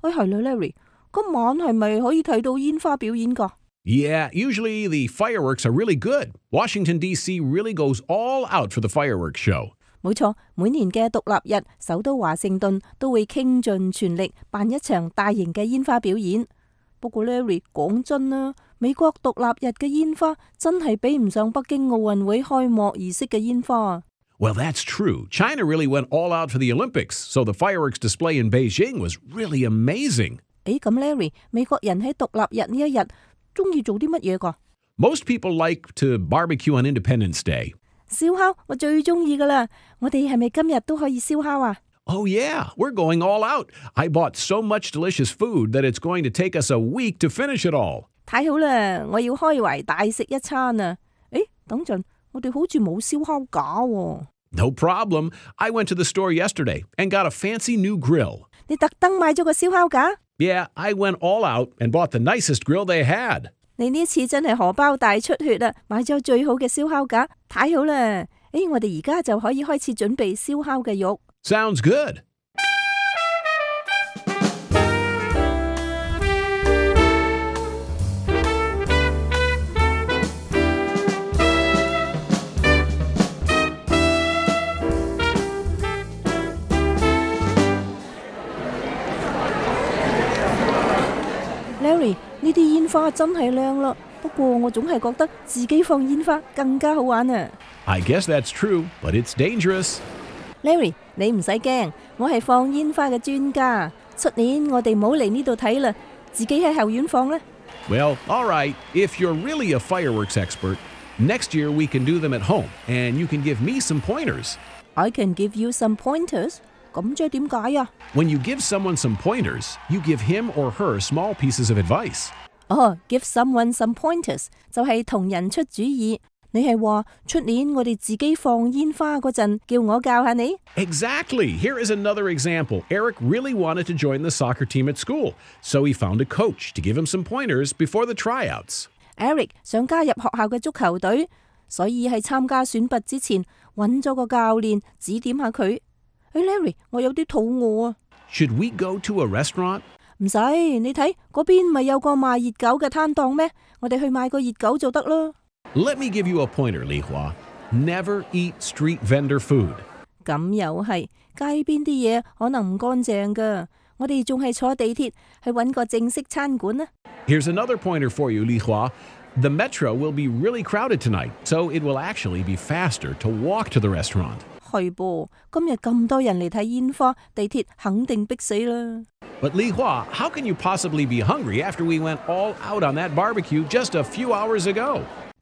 係啦 ，Larry， 今晚係咪可以睇到煙花表演㗎？ Yeah, usually the fireworks are really good. Washington, D.C. really goes all out for the fireworks show. 冇錯，每年嘅獨立日，首都華盛頓都會傾盡全力辦一場大型嘅煙花表演。不過 Larry， 講真啦，美國獨立日嘅煙花真係比唔上北京奧運會開幕儀式嘅煙花。 Well, that's true. China really went all out for the Olympics, so the fireworks display in Beijing was really amazing. 咁 Larry， 美國人喺獨立日呢一日中意做啲乜嘢㗎？ Most people like to barbecue on Independence Day. 燒烤我最中意㗎啦，我哋係咪今日都可以燒烤啊？ Oh yeah, we're going all out. I bought so much delicious food that it's going to take us a week to finish it all. 太好啦，我要開懷大食一餐啊！等陣，我哋好似冇燒烤架喎。 No problem. I went to the store yesterday and got a fancy new grill. 你特登買咗個燒烤架？ Yeah, I went all out and bought the nicest grill they had. 你呢次真係荷包大出血啊！買咗最好嘅燒烤架，太好啦！我哋而家就可以開始準備燒烤嘅肉。 Sounds good. Larry， 呢啲煙花真係靚啦，不過我總係覺得自己放煙花更加好玩啊。 I guess that's true, but it's dangerous. Larry， 你唔使驚，我係放煙花嘅專家。出年我哋唔好嚟呢度睇啦，自己喺後院放啦。 Well, all right. If you're really a fireworks expert, next year we can do them at home, and you can give me some pointers. I can give you some pointers. 咁即係點解啊？ When you give someone some pointers, you give him or her small pieces of advice. Give someone some pointers 就係同人出主意。你係話出年我哋自己放煙花嗰陣，叫我教下你 ？Exactly. Here is another example. Eric really wanted to join the soccer team at school, so he found a coach to give him some pointers before the tryouts. Eric 想加入學校嘅足球隊，所以喺參加選拔之前揾咗個教練指點下佢。Larry， 我有啲肚餓啊。Should we go to a restaurant? 唔使，你睇嗰邊咪有個賣熱狗嘅攤檔咩？我哋去買個熱狗就得啦。Let me give you a pointer, Li Hua. Never eat street vendor food. 咁又係，街邊啲嘢可能唔乾淨㗎。我哋仲係坐地鐵去揾個正式餐館啊。Here's another pointer for you, Li Hua. The metro will be really crowded tonight, so it will actually be faster to walk to the restaurant. 係噃，今日咁多人嚟睇煙花，地鐵肯定逼死啦。But Li Hua, how can you possibly be hungry after we went all out on that barbecue just a few hours ago?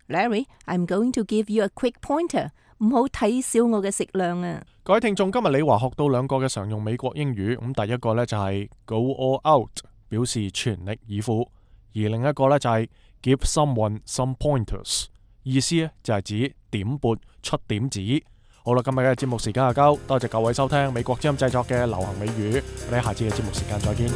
Larry, I'm going to give you a quick pointer. 唔好睇小我嘅食量啊！各位聽眾，今日李華學到2個嘅常用美國英語。咁第一個呢就係 go all out， 表示全力以赴；而另一個呢就係 give someone some pointers， 意思呢就係指點撥出點子。好啦，今日嘅節目時間就夠，多謝各位收聽美國之音製作嘅流行美語，我哋下次嘅節目時間再見。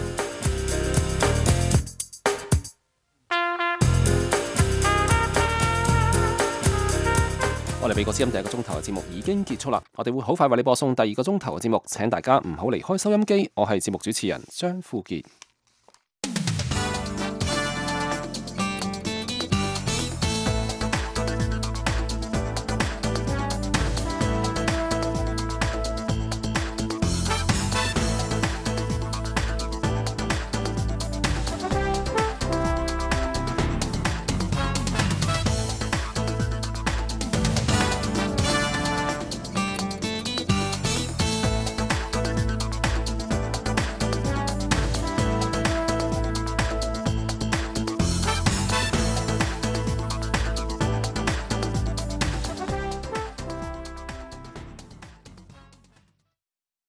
我哋美國之音第1個鐘頭嘅節目已經結束啦，我哋會好快為你播送第2個鐘頭嘅節目，請大家唔好離開收音機。我係節目主持人張富傑。